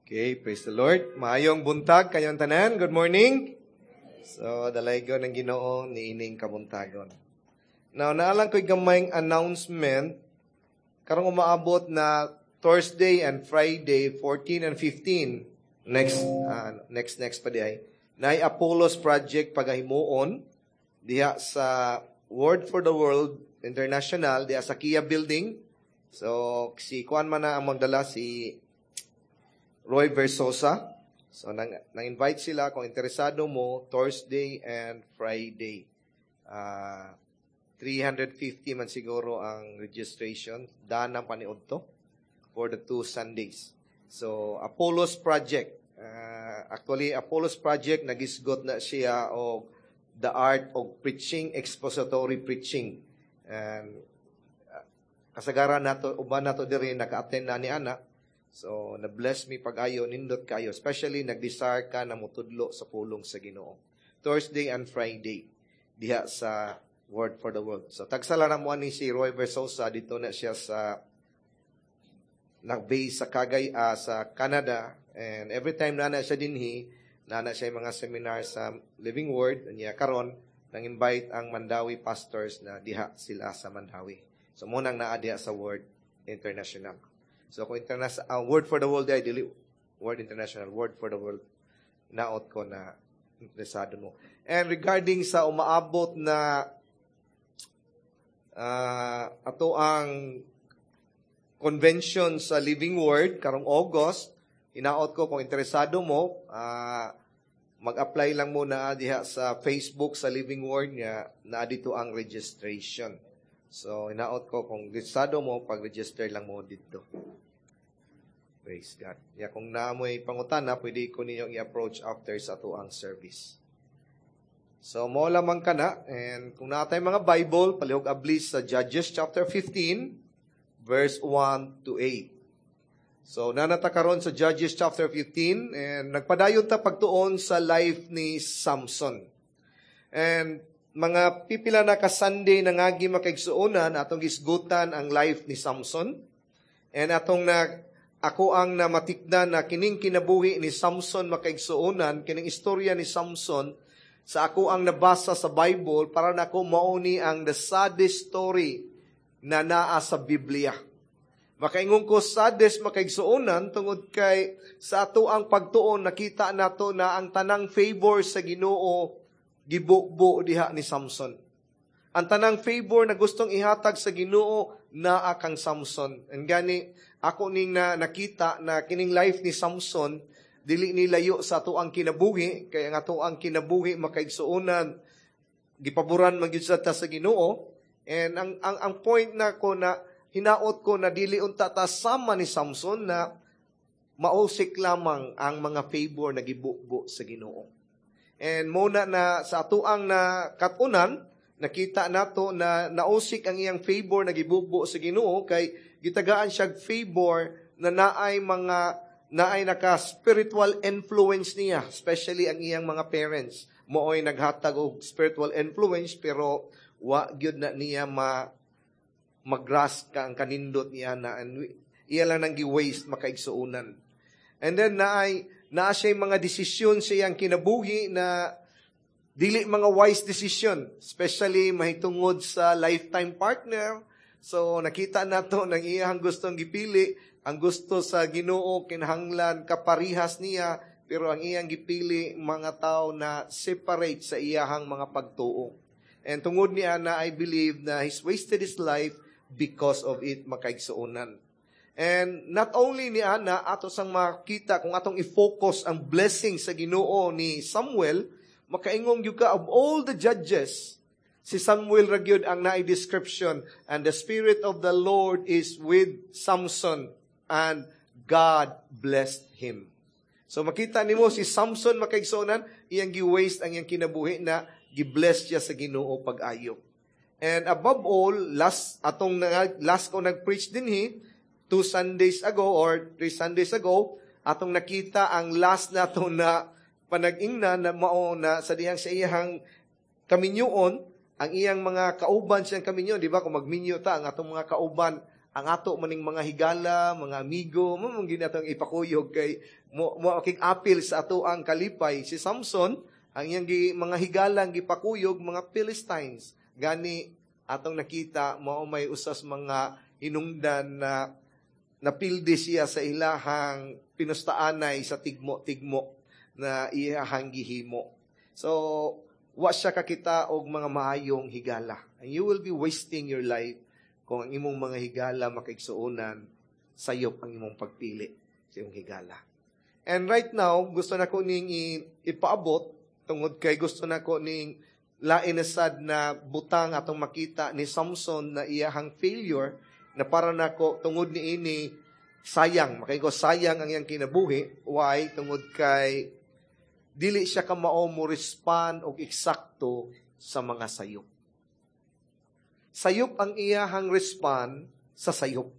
Okay, praise the Lord. Maayong buntag kayong tanan. Good morning. So, dalaygon ang Ginoo niining kabuntagon. Now, naa lang ko'y gamayng announcement karong umaabot na Thursday and Friday, 14 and 15, next next pa diay, naay Apollos Project pagahimuon diha sa Word for the World International diha sa Kia Building. So, si kuan man na ang magdala, si Roy Versosa. So, nang invite sila kung interesado mo, Thursday and Friday. 350 man siguro ang registration. Daan ang paniudto for the 2 Sundays. So, Apollos Project. Actually, Apollos Project, nagisgot na siya og the art of preaching, expository preaching. And kasagaran nato, uban nato diri naka-attend na ni ana. So, na-bless mi pag-ayo, nindot kayo. Especially, nag-desire ka na mutudlo sa pulong sa Ginoo. Thursday and Friday, diha sa Word for the World. So, tagsala na mo ni si Roy Versosa, dito na siya sa nag-base sa Kagay, sa Canada. And every time na siya dinhi, na siya yung mga seminar sa Living Word, niya karon nang invite ang Mandaue pastors na diha sila sa Mandaue. So, munang naa diha sa Word International. So kung international, Word for the World ay dili Word International, Word for the World, naot ko na interesado mo. And regarding sa umaabot na ato ang convention sa Living Word karong August, hinaot ko kung interesado mo, mag-apply lang muna diha sa Facebook sa Living Word niya na dito ang registration. So, hinaot ko kung interesado mo, pag-register lang mo dito. Praise God. Ya, kung naa mo'y pangutana, pwede ko ninyong i-approach after sa atoang service. So, mo lamang ka na. And kung naa tay mga Bible, palihog abli sa Judges chapter 15, verse 1 to 8. So, naa na ta karon sa Judges chapter 15, and nagpadayon ta pagtuon sa life ni Samson. And mga pipila na ka Sunday na ngagi, makaigsuonan, atong gisgutan ang life ni Samson. And atong na ako ang namatikdan na kining kinabuhi ni Samson, makaigsuonan, kining istorya ni Samson, sa ako ang nabasa sa Bible, para nako mao ni ang the saddest story na naa sa Biblia. Makaingon ko saddest, makaigsuonan, tungod kay sa ato ang pagtuon nakita nato na ang tanang favor sa Ginoo gibubo diha ni Samson. Ang tanang favor na gustong ihatag sa Ginoo naa kang Samson. And gani ako ning na nakita na kining life ni Samson dili ni layo sa ato ang kinabuhi, kay ang ato ang kinabuhi, makaigsuonan, gipaboran man gyud sa ta sa Ginoo. And ang point na ko na hinaot ko na dili unta ta sama ni Samson na mausik lamang ang mga favor na gibubo sa Ginoo. And muna na sa atuang na katunan, nakita nato na nausik ang iyang favor na gibubo sa Ginoo kay gitagaan siya favor na naay naka spiritual influence niya, especially ang iyang mga parents. Mooy naghatag og spiritual influence, pero wa gyud na niya ma mag-grasp ka ang kanindot niya na and iya lang nang gi-waste, makaigsuonan. And then naay naa siya mga desisyon sa iyang kinabuhi na dili mga wise decision, especially mahitungod sa lifetime partner. So nakita nato nang iyang gustong gipili, ang gusto sa Ginoo kinahanglan kaparihas niya, pero ang iyang gipili mga tao na separate sa iyahang mga pagtuo. And tungod niya na I believe na he's wasted his life because of it, makaigsuonan. And not only ni ana, ato sang makita kung atong i-focus ang blessing sa Ginoo ni Samuel, makaingong gyud ka of all the judges, si Samuel ra gyud ang naay description, "And the Spirit of the Lord is with Samson and God blessed him." So makita nimo si Samson, makaigsuonan, iyang gi-waste ang iyang kinabuhi na gi-bless siya sa Ginoo pag-ayo. And above all, last atong last ko nag-preach dinhi 2 Sundays ago or 3 Sundays ago, atong nakita ang last nato na panag-ingna na mao na sa dihang sa iyang kaminyoon, ang iyang mga kauban siyang kaminyo, di ba? Kung magminyo ta, ang atong mga kauban Ang ato maning mga higala, mga amigo, mo man gyud atong ipakuyog kay mo apil sa ato ang kalipay. Si Samson, ang iyang mga higala ang gipakuyog mga Philistines. Gani atong nakita mao may usas mga hinungdan na napildi siya sa ilahang pinustaanay sa tigmo-tigmo na iyahang gihimo. So, wa siya kakita og mga maayong higala. And you will be wasting your life kung ang imong mga higala makaigsuonan, sayop ang imong pagpili sa imong higala. And right now, gusto na ko ning ipaabot tungod kay gusto na ko ning lain na sad na butang atong makita ni Samson na iyahang failure na para nako tungod ni ini sayang, makaigo sayang ang iyang kinabuhi. Why? Tungod kay dili siya kamao mo respond og eksakto sa mga sayop. Sayop ang iyahang respond sa sayop.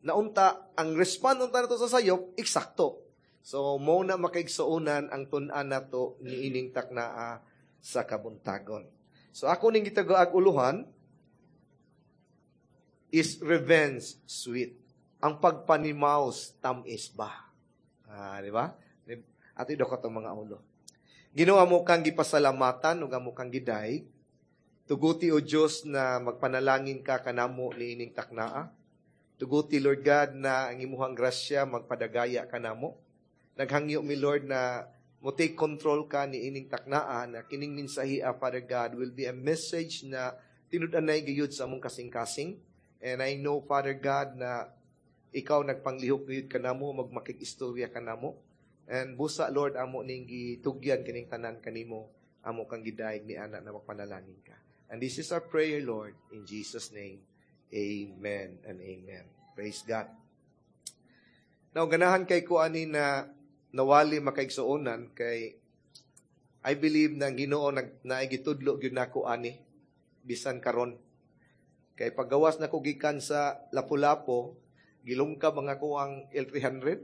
Naunta, ang respond unta nato sa sayop, eksakto. So, mo na makaigsuonan ang tun-an nato ni ining taknaa sa kabuntagon. So, ako ning gitagaag uluhan is revenge sweet. Ang pagpanimaus tamis ba? Di ba? Ato do ka mga ulo. Ginoo, amo kang gipasalamatan ug amo kang giday. Tuguti o Dios na magpanalangin ka kanamo niining taknaa. Tuguti, Lord God, na ang imuhang grasya magpadagaya kanamo. Naghangyo mi, Lord, na mo take control ka niining taknaa, na kining mensahe, Father God, will be a message na tinud-anay gayud sa among kasing-kasing. And I know, Father God, na ikaw nagpanglihok gayud kanamo, magmakig-istorya kanamo. And busa, Lord, amo ning gitugyan kining tanan kanimo, amo kang gidayeg ni ana na magpanalangin ka. And this is our prayer, Lord, in Jesus' name. Amen and amen. Praise God. Now, ganahan kay ko ani na nawali makaigsuonan kay I believe na ang Ginoo nag naigitudlo gyud nako ani bisan karon. Kay paggawas nako gikan sa Lapu-Lapu, gilungkab ang ako ang L300.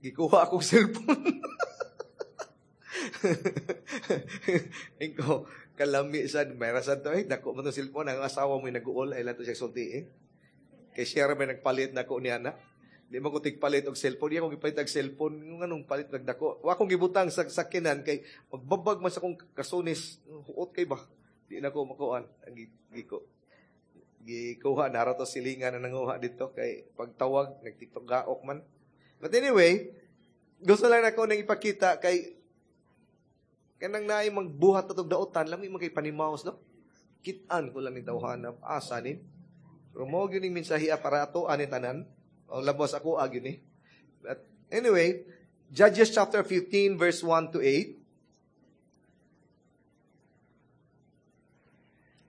Gikuha akong cellphone. Inko, kalami sad, may sad to, eh, dako man tong cellphone, ang asawa mo nag-uol, ay lang to siya sulti eh. Kay siya ra may nagpalit nako niya na. Di man ko tigpalit og cellphone, di ako gipalit og cellphone, yung anong palit nagdako. Wa akong gibutang sa sakinan kay magbabag man sa akong kasunis, huot kay ba. Di na ko makuan. Ang giko. Gikuha na ra to silingan na nanguha dito kay pagtawag nagtiktok gaok man. But anyway, gusto lang nako nang ipakita kay kanang naay magbuhat atong daotan, lami man kay panimaos, no? Kitaan ko lang ni tawhana, asa ni. Pero mo gyud ning mensahe para ato ani tanan. O labos ako gyud ni. But anyway, Judges chapter 15 verse 1 to 8.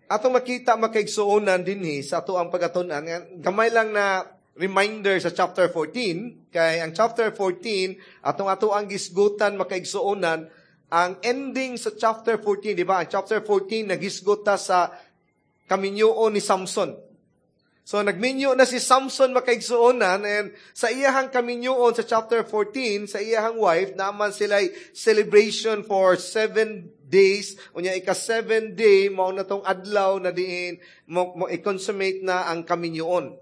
Atong makita makaigsuonan dinhi sa ato ang pagatun-an. Gamay lang na reminder sa chapter 14, kay ang chapter 14 atong ato ang gisgutan makaigsuonan ang ending sa chapter 14, di ba? Ang chapter 14 nagisgot ta sa kaminyoon ni Samson. So nagminyo na si Samson makaigsuonan, and sa iyahang kaminyoon sa chapter 14, sa iyahang wife, naman sila'y celebration for 7 days. Unya ika 7 day, mao na tong adlaw na diin, mo i-consummate na ang kaminyoon.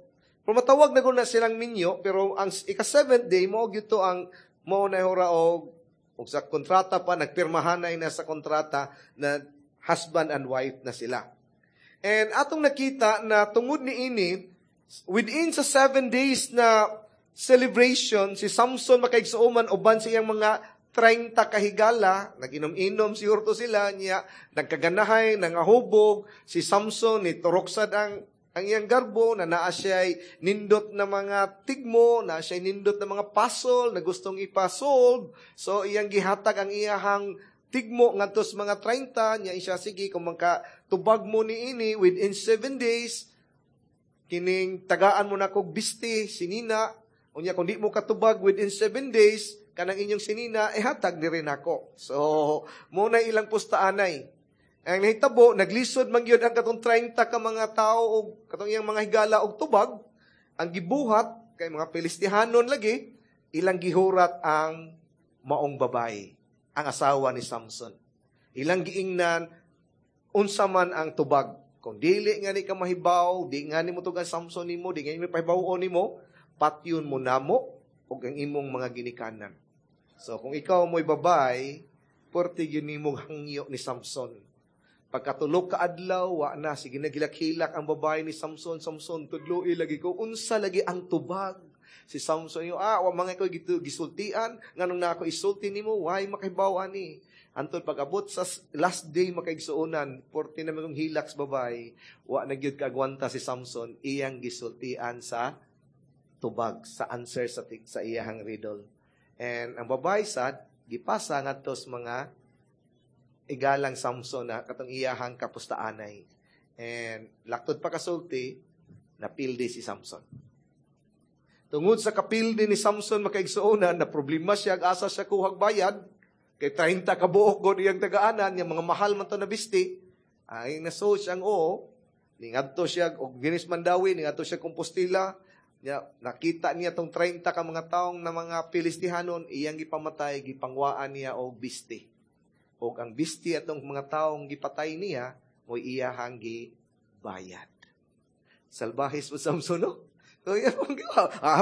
Pero matawag na na silang minyo, pero ang ika 7th day, mao gyud to ang mao na hora og sa kontrata pa, nagpirmahanay na sa kontrata na husband and wife na sila. And atong nakita na tungod ni ini, within sa 7 days na celebration, si Samson makaigsuoman uban sa iyang mga 30 kahigala, nag-inom-inom siguro to sila niya, nagkaganahay, nangahubog, si Samson ni turoksad ang iyang garbo, na naa siya'y nindot na mga tigmo, naa siya'y nindot na mga puzzle na gustong ipasolve. So, iyang gihatag ang iyahang tigmo ngadto sa mga 30, niya siya, sige, kung magkatubag mo ni ini within 7 days, kining tagaan mo na kog biste, sinina, unya kung di mo katubag within 7 days, kanang inyong sinina, hatag ni rin ako. So, mo na ilang pustaanay. Ang nahitabo, naglisod man gyud ang katong 30 ka mga tao og katong iyang mga higala og tubag, ang gibuhat kay mga Filistihanon lagi, ilang gihurat ang maong babae, ang asawa ni Samson. Ilang giingnan unsa man ang tubag. Kung dili nga ni ka mahibaw, di nga ni mo tugan Samson nimo, di nga ni pahibaw nimo, patyon mo namo og ang imong mga ginikanan. So kung ikaw mo'y babay, porte gyud nimo hangyo ni Samson. Pagkatulog ka adlaw, wa na sige nagilak-hilak ang babae ni Samson. "Samson, tudloi lagi ko unsa lagi ang tubag." Si Samson yo, "Ah, wa mga ko gisultian, nganong na ako isulti nimo, why makahibaw ani?" Antod pag-abot sa last day, makaigsuonan, porte na kong hilak sa babae, wa na gyud kaagwanta si Samson, iyang gisultian sa tubag, sa answer sa iyahang riddle. And ang babae sad, gipasa ngadto sa mga igalang Samson na katong iyahang kapustaanay. And laktod pa kasulti, napildi si Samson. Tungod sa kapildi ni Samson, makaigsuonan, na problema siya, asa siya kuhag bayad, kay 30 ka buok god iyang tagaanan, yung mga mahal man to na bisti, ay naso siyang oo, ningadto siya, og Ginis Mandawi, ningadto siya Compostela, niya, nakita niya tong 30 ka mga taong na mga Filistihanon, iyang gipamatay, gipangwaan niya og bisti. Og ang bisti atong mga taong gipatay niya, mo'y iyahang gibayad. Salbahis mo Samson, no? So, iya,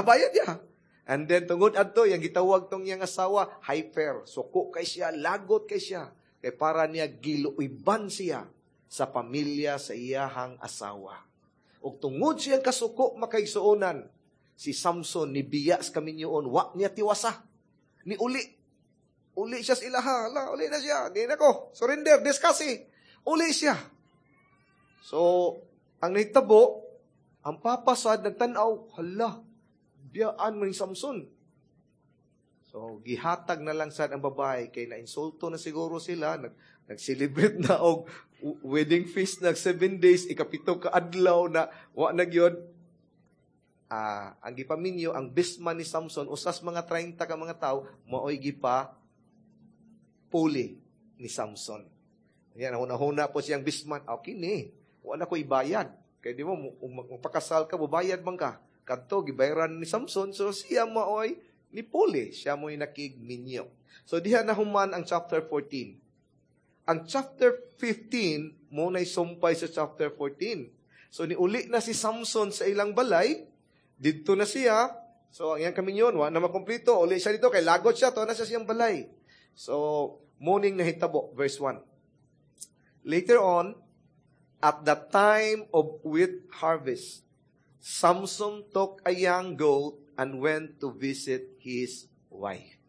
bayad niya. And then, tungod adto, yang gitawag tong iyang asawa, hyper. Suko kay siya, lagot kay siya. Kay para niya giluiban siya sa pamilya sa iyahang asawa. Og tungod siyang kasuko, makaigsuonan, si Samson ni biya sa kaminyoon, wa niya tiwasa. Ni uli. Uli siya sa ilaha. Ala, uli na siya. Di na ko. Surrender. Discuss. Uli siya. So, ang nahitabo, ang papasad, nagtanaw, hala, biyaan mo ni Samson. So, gihatag na lang sad ang babae kay na-insulto na siguro sila, nag-celebrate na og wedding feast nag 7 days, ikapito ka adlaw na wa na gyud. Ang gipaminyo, ang best man ni Samson, usas mga 30 ka mga tao, maoy gipa puli ni Samson. Yan, huna-huna po siyang best man. Okay ni, wa na ko ibayad. Kay di mo, magpakasal ka, bubayad man ka. Kadto, gibayaran ni Samson, so siya maoy ni puli. Siya mo'y nakigminyo. So diha na human ang chapter 14. Ang chapter 15, mo na'y sumpay sa chapter 14. So niuli na si Samson sa ilang balay, didto na siya. So ang iyang kaminyon, wa na makumplito. Uli siya dito, kay lagot siya, to na siya siyang balay. So, morning nahitabo, verse 1. Later on, at the time of wheat harvest, Samson took a young goat and went to visit his wife.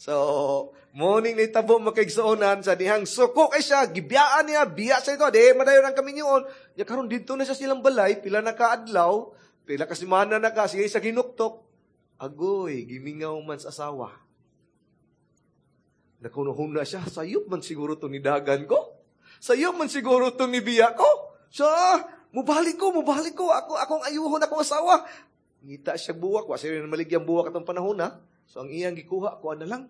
So, morning ni tabo makaigsuonan sa dihang suko kay siya, gibiyaan niya, biya sa ito, di madayon ang kaminyoon. Ya karon didto na siya silang balay, pila na kaadlaw, pila ka semana na ka, sige sa ginuktok. Agoy, gimingaw man sa asawa. Nakunuhuna siya, sayop man siguro itong nidagan ko. Sayop man siguro itong nibiya ko. Siya, mubalik ko, ako, akong ayuhon akong asawa. Ngita siya buwak, wa siya maligyan buwak atong panahon na. So ang iyang gikuha, kuha na lang.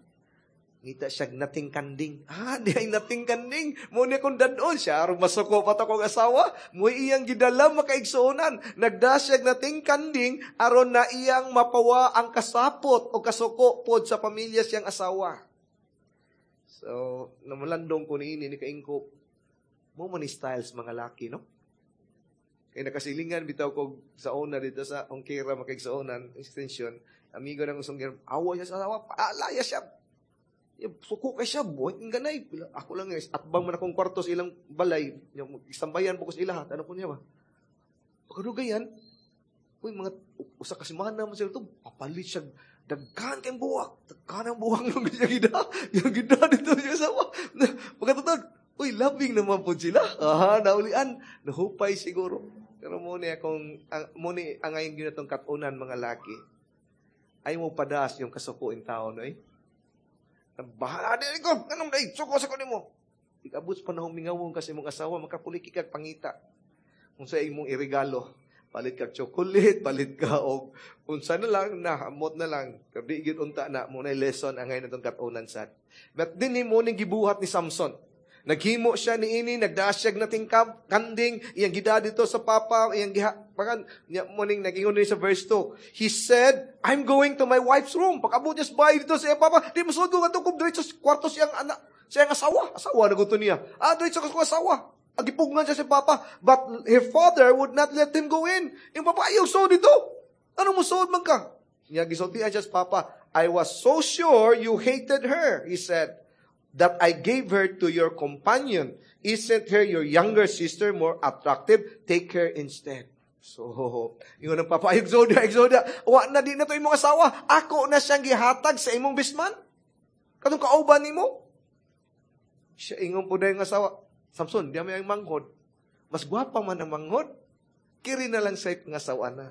Ngita siya nating kanding. Ah, di ay nating kanding. Mo ni akong dadon siya, aron masuko pa to akong asawa. Mo iyang gidala, makaigsuonan. Nagda siya nating kanding, aron na iyang mapawa ang kasapot o kasuko pod sa pamilya siyang asawa. So, namalandong ko niini ni kaingko, mo man ni styles mga laki, no? Kay nakasilingan bitaw ko sa una dito sa Ongkira makaigsuonan, extension, amigo ng usong awa siya sa asawa, alaya siya. Suko kay siya, buhay ng ganay. Ako lang, atbang man akong kwarto sa ilang balay, isambayan po ko sa ilaha, tanong ko niya ba? Pagkadugayan, uy, mga, usa ka semana man sila ito, papalit siya, daghan kayong buwak, daghan ang buwak ng siya gida, yung gida dito siya asawa. Pagkatutod, uy, loving naman po sila. Aha, naulian, nahupay siguro. Pero muna akong, ang, muna ang ngayon ginatong katunan mga laki, ay mo padas yung kasukuin tao, no eh? Bahala din ko, anong day, suko sa kunin mo. Ikabot pa na humingawon kasi mong asawa, makapuliki kag pangita. Kung sa imong irigalo, palit kag chocolate, palit ka og unsa na lang, na, amot na lang. Pero di gyud unta na, mo na lesson ang ngayon itong katunan sad. But din ni mo ning gibuhat ni Samson. Naghimo siya ni ini, nagdaas siya nating kanding, iyang gida dito sa papa, iyang giha, pakan, niya mo ning nagingon ni sa verse 2. He said, "I'm going to my wife's room." Pag-abot niya sa bahay dito sa iyang papa, di masud ko ngadto ko diretso sa kwarto siyang anak, siyang asawa. Asawa na gusto niya. Ah, diretso ko sa asawa. Gipugngan siya sa papa, but her father would not let him go in. Yung papa, "Ayaw suod dito. Ano mo suod man ka?" Niya gisultian siya sa papa. "I was so sure you hated her," he said, "that I gave her to your companion. Isn't her your younger sister more attractive? Take her instead." So, ingon ang papa, "Ayaw suod, ayaw suod. Wa na, di na to imong asawa. Ako na siyang gihatag sa imong best man. Katong kauban nimo." Siya ingon po na yung asawa, "Samson, di may ang manghod. Mas gwapa man ang manghod. Kiri na lang sa pangasawa na.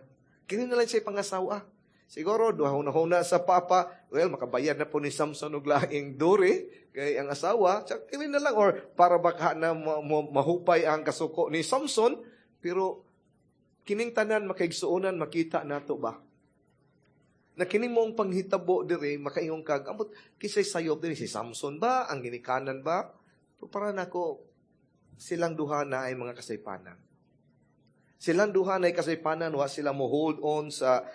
Kiri na lang sa pangasawa." Siguro, duha-huna sa papa, well, makabayad na po ni Samson og laing dowry kay ang asawa, tsak, kiri na lang, or para baka na mahupay ang kasuko ni Samson, pero kining tanan, makaigsuonan, makita nato ba? Na kini mong panghitabo dire, makaingon kag, ambot, kisay sayop dire, si Samson ba, ang ginikanan ba? Pero para nako, silang duha na ay mga kasaypanan. Silang duha na ay kasaypanan, wa sila mo hold on sa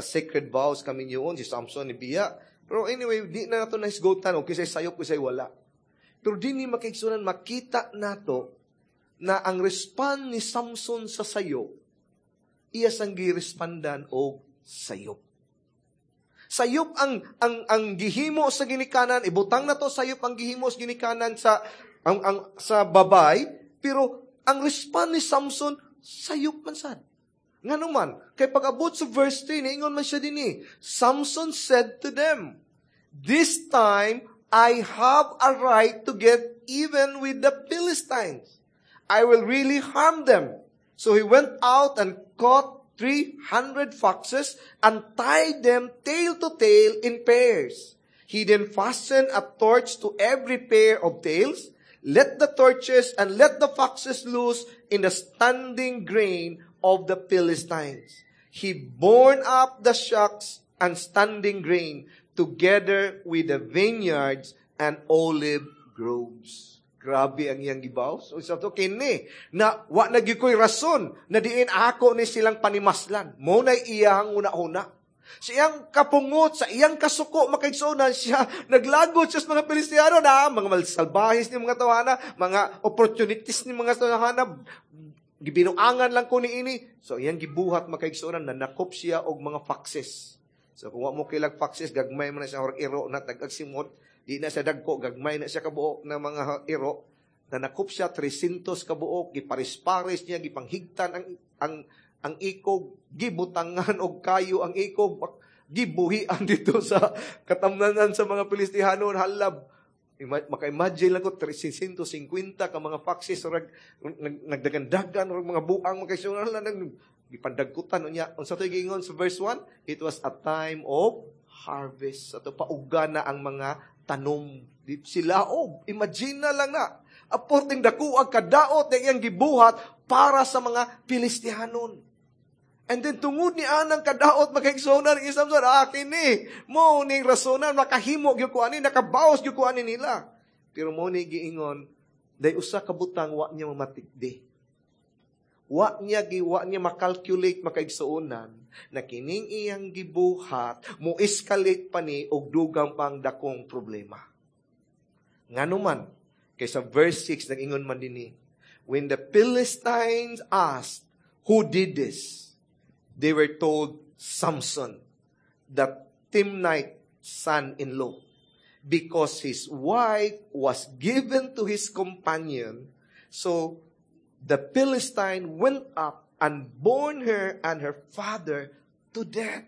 sacred vows kami yun, si Samson ni Biya. Pero anyway, di na nato nahisgotan, o kisay sayop, kisay wala. Pero di ni, makaigsuonan, makita nato na ang respond ni Samson sa sayop, iya sang girespondan og sayop. Sayop ang gihimo sa ginikanan, ibutang na to, sayop ang gihimo sa ginikanan sa ang sa babay, pero ang respond ni Samson sayop man sad. Ngano man, kay pag-abot sa verse 3, niingon man siya dinhi, Samson said to them, "This time I have a right to get even with the Philistines. I will really harm them." So he went out and caught 300 foxes and tied them tail to tail in pairs. He then fastened a torch to every pair of tails, lit the torches, and let the foxes loose in the standing grain of the Philistines. He burned up the shocks and standing grain together with the vineyards and olive groves. Grabe ang iyang gibaw. So, sa to, kini, na wa na gyud ko'y rason na diin ako ni silang panimaslan. Mo na iyang una-una. Sa iyang kapungot, sa iyang kasuko, makaigsuonan siya, naglagot siya sa mga Pilistiyano na, mga malsalbahis ni mga tawhana, mga opportunities ni mga tawhana, gibinuangan lang ko ni ini. So, iyang gibuhat, makaigsuonan, nanakop siya og mga foxes. So, kung wa mo kilag foxes, gagmay man na siya, or iro na tag-agsimot, di na siya dagko, gagmay na siya kabuok na mga iro. Nanakop siya 300 kabuok, giparis-paris niya, gipanghigtan ang ikog, gibutangan og kayo ang ikog, gibuhian dito sa katamnanan sa mga Pilistihano, halab. Maka-imagine lang ko, 350 ka mga foxes, or nagdagandagan, or mga buang, makaisunan lang, gipandagkutan unya. Unsa to'y giingon sa verse 1? It was a time of harvest. Sa to pauga na ang mga tanom. Sila, oh, imagine na lang na. Aporting dako ang kadaot na iyang gibuhat para sa mga Pilistihanon. And then tungod ni anang kadaot, makaigsuonan ni Samson, ah, kini, mo ning rasonan, makahimo gyud ko ani, nakabaos gyud ko ani nila. Pero mo ni giingon, day usa ka butang wa niya mamatikdi. Wa niya makalculate, makaigsuonan, na kining iyang gibuhat mo escalate pa ni og dugang pang dakong problema. Ngano man, kay sa verse 6 nag-ingon man dinhi, when the Philistines asked, "Who did this?" they were told, "Samson, the Timnite son-in-law," because his wife was given to his companion. So the Philistine went up and burned her and her father to death.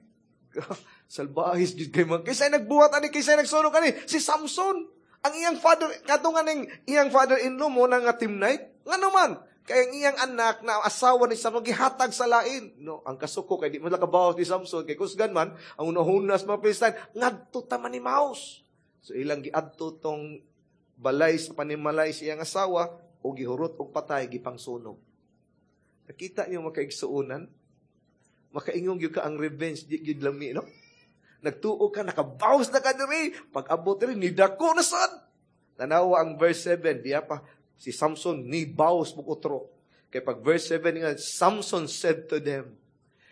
Salbahis gid kay man. Kinsay nagbuhat ani, kinsay nagsunog ani? Si Samson. Ang iyang father, kadto nga ning iyang father-in-law mo na nga Timnite. Ngano man? Kay ang iyang anak na asawa ni Samson gihatag sa lain. No, ang kasuko kay di mo kabawas ni Samson kay kusgan man ang unahuna sa mga Philistine ngadto ta manimaos. So ilang giadto tong balay sa panimalay sa iyang asawa o gihurot og patay, gipangsunog. Nakita niyo, makaigsuonan? Makaingong gyud ka ang revenge di gyud lami, no? Nagtuo ka, nakabawas na ka diri. Pag abot diri, nidako na sad. Tanawa ang verse 7, diya pa si Samson ni bawas mo utro. Kay pag verse 7 nga, Samson said to them,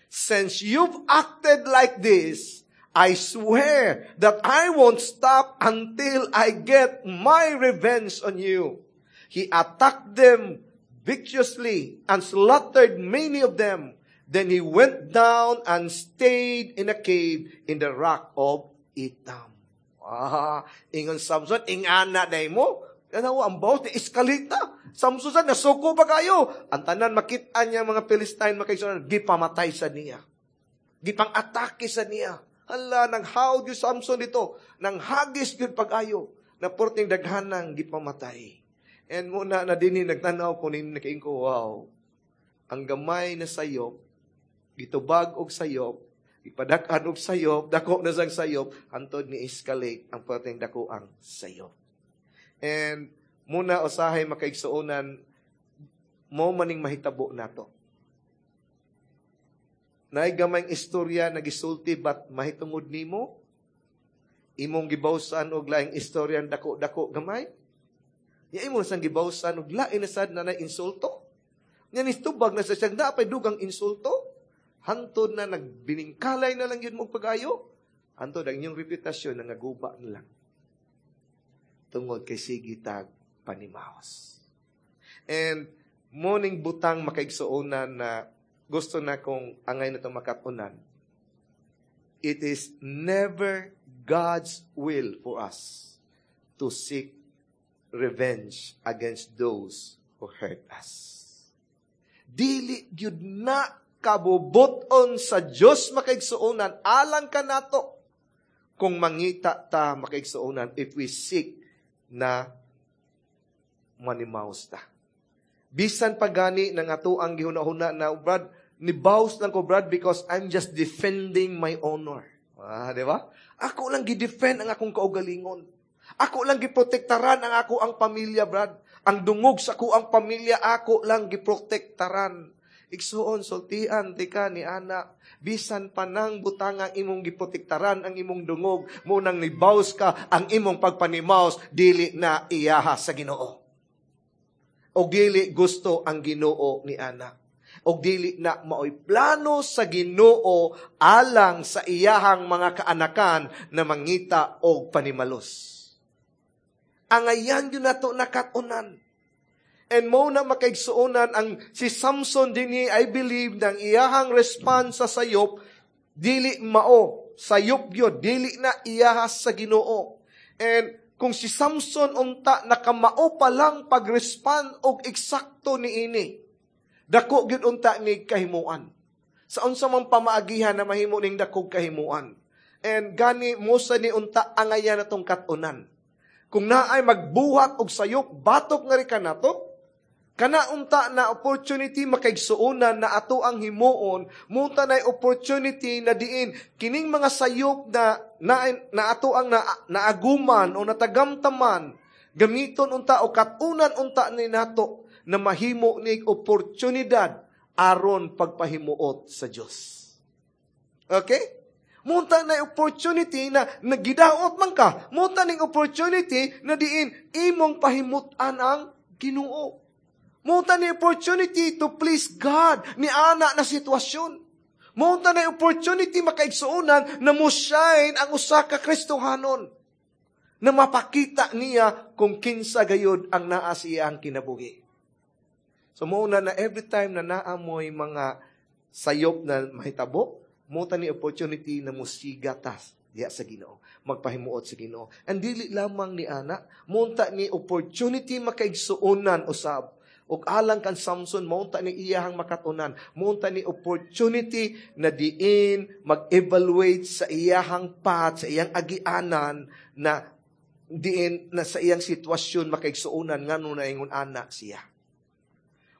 "Since you've acted like this, I swear that I won't stop until I get my revenge on you." He attacked them viciously and slaughtered many of them. Then he went down and stayed in a cave in the rock of Etam. Ah, ingon Samson, ingana na mo. Kanaw ang bawos ni escalate. Samson sa nasuko pa kayo. Ang tanan makita niya mga Philistine, makaigsuonan, gipamatay sa niya. Gipang-atake sa niya. Hala, nang hawd yung Samson dito. Nang hagis yun pag-ayo. Na porting daghanang gipamatay. And muna na dinhi nagtanaw ko nini nakaingon ko, wow. Ang gamay na sayop, gitubag og sayop, ipadak-an og sayop, dako na sang sayop, hantod ni escalate ang perting dako ang sayop. And muna usahay, makaigsuonan, mo maning mahitabo nato. Naay gamayng istorya na gisulti but mahitungod nimo, imong gibawsan og laing istorya dako-dako gamay. Ya imo sang gibawsan og lain na sad na insulto. Nya ni tubag na sa siyang naapay dugang insulto. Hantod na nagbiningkalay na lang yun mo pag-ayo. Hantod ang inyong reputasyon na naguba na lang. Tungod kay sige tag panimaos. And morning butang, makaigsuonan, na gusto na kong angay na itong makatunan. It is never God's will for us to seek revenge against those who hurt us. Dili gyud na kabubuton sa Dios, makaigsuonan, alang kanato kung mangita ta, makaigsuonan, if we seek na manimaos ta. Bisan pa gani ng ato ang gihuna-huna na, "Brad, nibaws lang ko, Brad, because I'm just defending my honor." Ah, di ba? Ako lang gi-defend ang akong kaugalingon. Ako lang giprotektaran ang ako ang pamilya, Brad. Ang dungog sa ako ang pamilya, ako lang giprotektaran. Igsuon, sultian, tika ni ana, bisan pa nang butang ang imong giprotektaran ang imong dungog, mo nang nibaws ka, ang imong pagpanimaos, dili na iyaha sa Ginoo. O dili gusto ang Ginoo ni ana. O dili na maoy plano sa Ginoo alang sa iyahang mga kaanakan na mangita og panimalos. Angayan yun nato nakatunan. And mo na, makaigsuonan, ang si Samson dinhi, I believe nang iyahang response sa sayop dili mao sayop gyud, dili na iyahas sa Ginoo. And kung si Samson unta nakamao pa lang pag-respond og eksakto niini, dako gyud unta ni kahimuan. Sa unsa man pamaagihan na mahimo ning dakog kahimuan. And gani mo sa ni unta angayan natong katunan. Kung naay magbuhat og sayop, batok nga ri kanato, kana unta na opportunity, makaigsuonan, na ato ang himuon, munta na opportunity na diin kining mga sayop na ato ang naaguman o natagamtaman, gamiton unta o katunan unta ni nato na mahimo ni oportunidad aron pagpahimuot sa Dios. Okay? Munta na opportunity na nagidaot man ka. Munta ning opportunity na diin imong pahimutan ang Ginoo. Munta ni opportunity to please God ni ana na sitwasyon. Munta na opportunity, makaigsuonan, na mo shine ang usa ka Kristohanon na mapakita niya kung kinsa gayud ang naa sa iyang kinabuhi. So mao na na every time na naamoy mga sayop na mahitabo, mo ta ni opportunity na musiga tas diya sa Ginoo, magpahimuot sa Ginoo. And dili lamang ni ana, munta ni opportunity, makaigsuonan, usab. Ug alang kan Samson, maunta ni iyahang makatunan, maunta ni opportunity na diin mag-evaluate sa iyahang path, sa iyang agianan, na diin na sa iyang sitwasyon, makaigsuonan, ngano na ingon anak siya.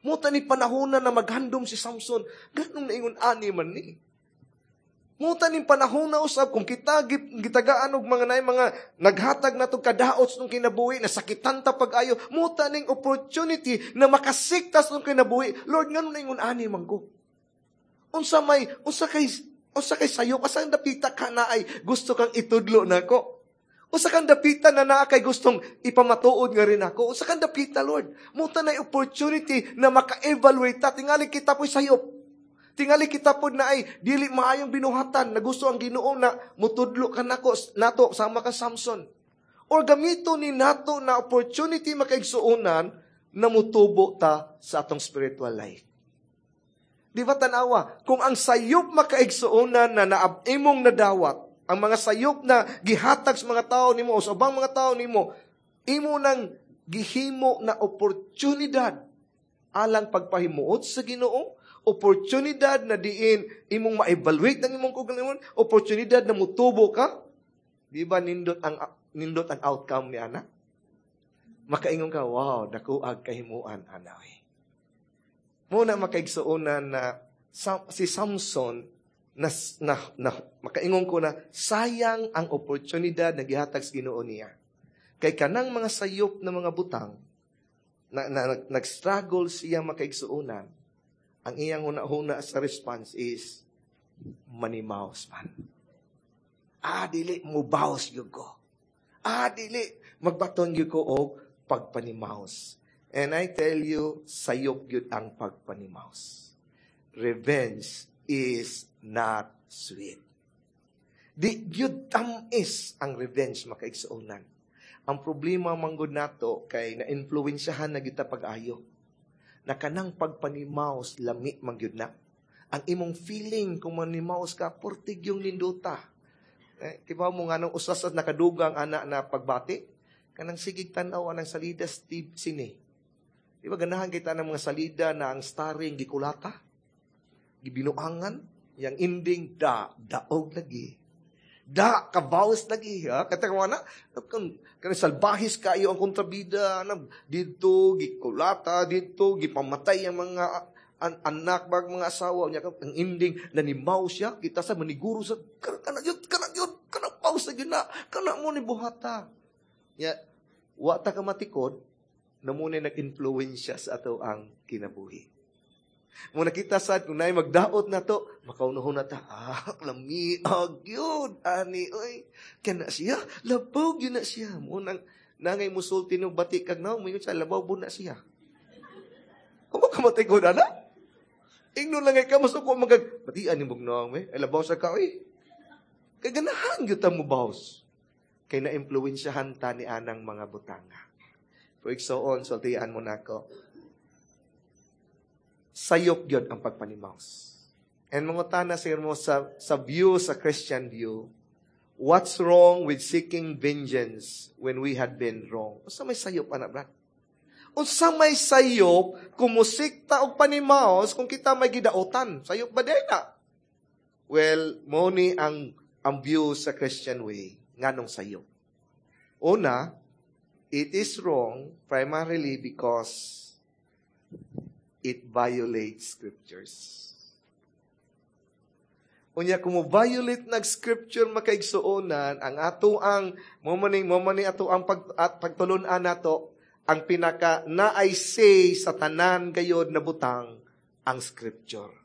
Muta ni panahon na maghandom si Samson, ganong naingon ani man ni. Muta ni panahon na usab kung kita gitagaan og mga nay mga naghatag nato kadaot nung kinabuhi, nasakitan ta pag-ayo, muta ning opportunity na makasiktas nung kinabuhi. "Lord, ngano naingon ani man ko? Unsa may unsa kay sayo asa dapita ka na ay gusto kang itudlo nako? Usa kang dapita na naa kay gustong ipamatuod nga rin ako? Usa kang dapita, Lord?" Muta na opportunity na maka-evaluate ta. Tingali kita po'y sayop. Tingali kita po na ay dili maayong binuhatan na gusto ang Ginoo na mutudlo ka nako nato sama ka Samson. Or gamito ni nato na opportunity, makaigsuonan, na mutubo ta sa atong spiritual life. Di ba tanawa, kung ang sayop, makaigsuonan, na imong nadawat, ang mga sayop na gihatag sa mga tao nimo o sa ubang mga tao nimo, imo nang gihimo na oportunidad alang pagpahimuot sa Ginoo, oportunidad na diin imong ma-evaluate ang imong kaugalingon, oportunidad na mutubo ka, di ba nindot ang outcome ni ana? Makaingon ka, "Wow, dako ag kahimuan ana." Muna makaigsuonan na si Samson na makaingon ko na sayang ang oportunidad na gihatag sa Ginoo niya. Kay kanang mga sayop na mga butang na nag-struggle siya, makaigsuonan, ang iyang huna-huna sa response is manimaos man. Ah, dili mubaos gyud ko. Ah, dili magbaton gyud ko og pagpanimaos. And I tell you, sayop gyud ang pagpanimaos. Revenge is not sweet. Di gyud tamis ang revenge, makaigsuonan. Ang problema manggod nato kay na-influensyahan na gyud ta pag-ayo. Na kanang pagpanimaos lami man gyud na. Ang imong feeling kung manimaos ka, portig yung ninduta. Eh, kibaw mo nga nung usas at nakadugang ana na pagbati, kanang sigig tan-aw anang salida Steve sine. Di ba ganahan kita ng mga salida na ang starring gikulata? Gibinuangan? Yang ending, da, daog lagi. Da, kabawas lagi. Ha? Kata ko na, kan, kan salbahis kayo ang kontrabida, na, dito, gikulata, dito, gipamatay ang mga anak, bag mga asawa niya, ang ending, nanimaw siya, kita sa maniguro sa, kana yun, kana yun, kana paus na yun na, kana mo ni buhata. Ya, wa ta ka matikod, na muna nag-influensya sa ato ang kinabuhi. Muna kita sad, kung naay magdaot na to, makaunohon na ta, "Ah, lami, agyod, ani, oy, kana siya, labaw gyud na siya." Munang, nangay musulti nung bati kag naong, moingon siya, "Labaw na siya." Kung ka matikod, ana? Ingnon lang ka, masuko magag, "Batian ni mong eh, ay labaw sa ka, oy." Kay ganahan gyud ta mo baws. Kay na-influensyahan ta ni anang mga butanga. For so on, sultian mo nako. Sayop gyud ang pagpanimaos. And mangutana sir mo sa view, sa Christian view, what's wrong with seeking vengeance when we had been wrong? Unsa may sayop ana, brad? Unsa may sayop kung musikta og panimaos kung kita may gidaotan? Sayop ba din na? Well, mo ni ang view sa Christian way nganong sayop. Una, it is wrong primarily because it violates scriptures. Unya kung mo violate nag scripture, makaigsuonan, ang ato ang mo man ato ang pag at pagtulun-an nato ang pinaka na I say sa tanan gayod na butang ang scripture.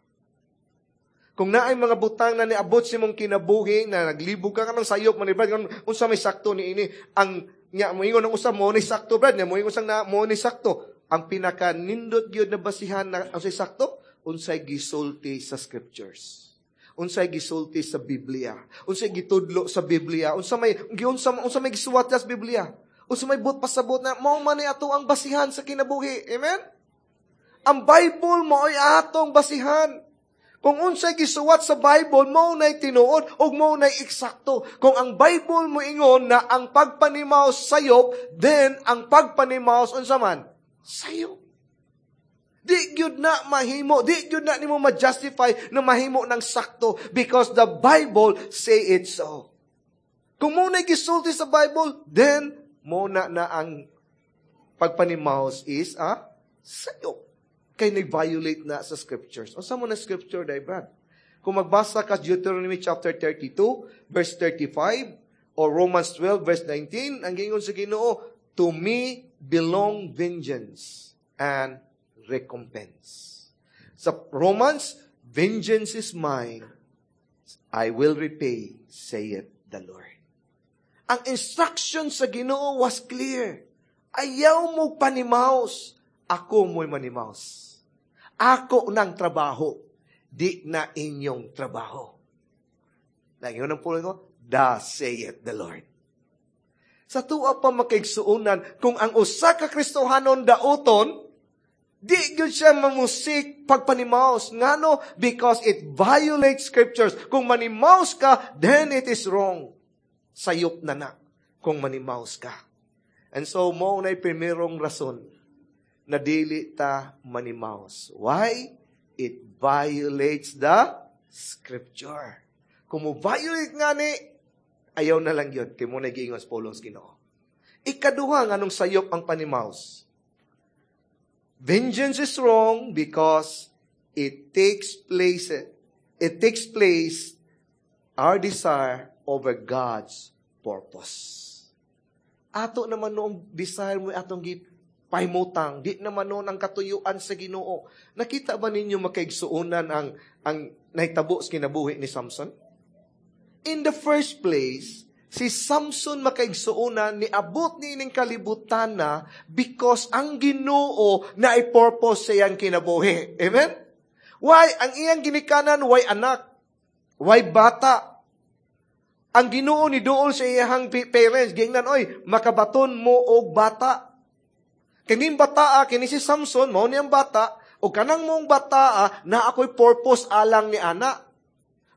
Kung naay mga butang na niabot sa imong kinabuhi na naglibog ka kanang sayop man, brad, unsa may sakto ni ini, ang nya moingon ang usa mo ni sakto, brad, nya moingon sang na mo ni sakto, ang pinaka nindot gyud na basihan na ang say sakto, unsay gisulti sa scriptures, unsay gisulti sa Biblia, unsay gitudlo sa Biblia, unsa may gisuwat sa Biblia, unsa may buot pasabot na mao man ni ato ang basihan sa kinabuhi. Amen. Ang Bible mo ay atong basihan. Kung unsay gisuwat sa Bible, mao nay tinuod ug mao nay eksakto. Kung ang Bible mo ingon na ang pagpanimaos sayop, then ang pagpanimaos unsa man? Sayop. Di gyud na mahimo, di gyud na nimo ma-justify na mahimo ng sakto because the Bible say it so. Kung mo na gisulti sa Bible, then mo na na ang pagpanimaos is a sayop. Kay nag-violate na sa scriptures. Unsa mo na scripture, day, Brad? Kung magbasa ka Deuteronomy chapter 32, verse 35, or Romans 12, verse 19, ang gingon sa Ginoo, "To me belong vengeance and recompense." Sa Romans, "Vengeance is mine, I will repay, saith the Lord." Ang instruction sa Ginoo was clear. Ayaw mo panimaos, ako mo'y manimaos. Ako ng trabaho, di na inyong trabaho. Lagi ng pulo ko, "Thus saith the Lord." Sa tuwa pa, makaigsuonan, kung ang usa ka Kristohanon dauton, di gyud siya mamusik pagpanimaos. Ngano? Because it violates scriptures. Kung manimaos ka, then it is wrong. Sayop na na kung manimaos ka. And so, mao na primerong rason na dili ta manimaos. Why? It violates the scripture. Kung mo violate nga ni, ayaw na lang yun. Kay mao na giingon sa pulong sa Ginoo. Ikaduha, nganong sayop ang panimaos? Vengeance is wrong because it takes place our desire over God's purpose. Ato naman noong desire mo atong gipahimutang, di naman noon ang katuyuan sa Ginoo. Nakita ba ninyo, makaigsuonan, ang nahitabo sa kinabuhi ni Samson? In the first place, si Samson, makaigsuonan, niabot ni ining kalibutan na because ang Ginoo na purpose sa iyang kinabuhi. Amen? Why? Ang iyang ginikanan, way anak? Way bata? Ang Ginoo ni duol sa iyang parents, giingnan, "Oy, makabaton mo og bata. Kining bataa, kini si Samson, mao niyang bata, o kanang mong bataa, na ako'y purpose alang ni ana.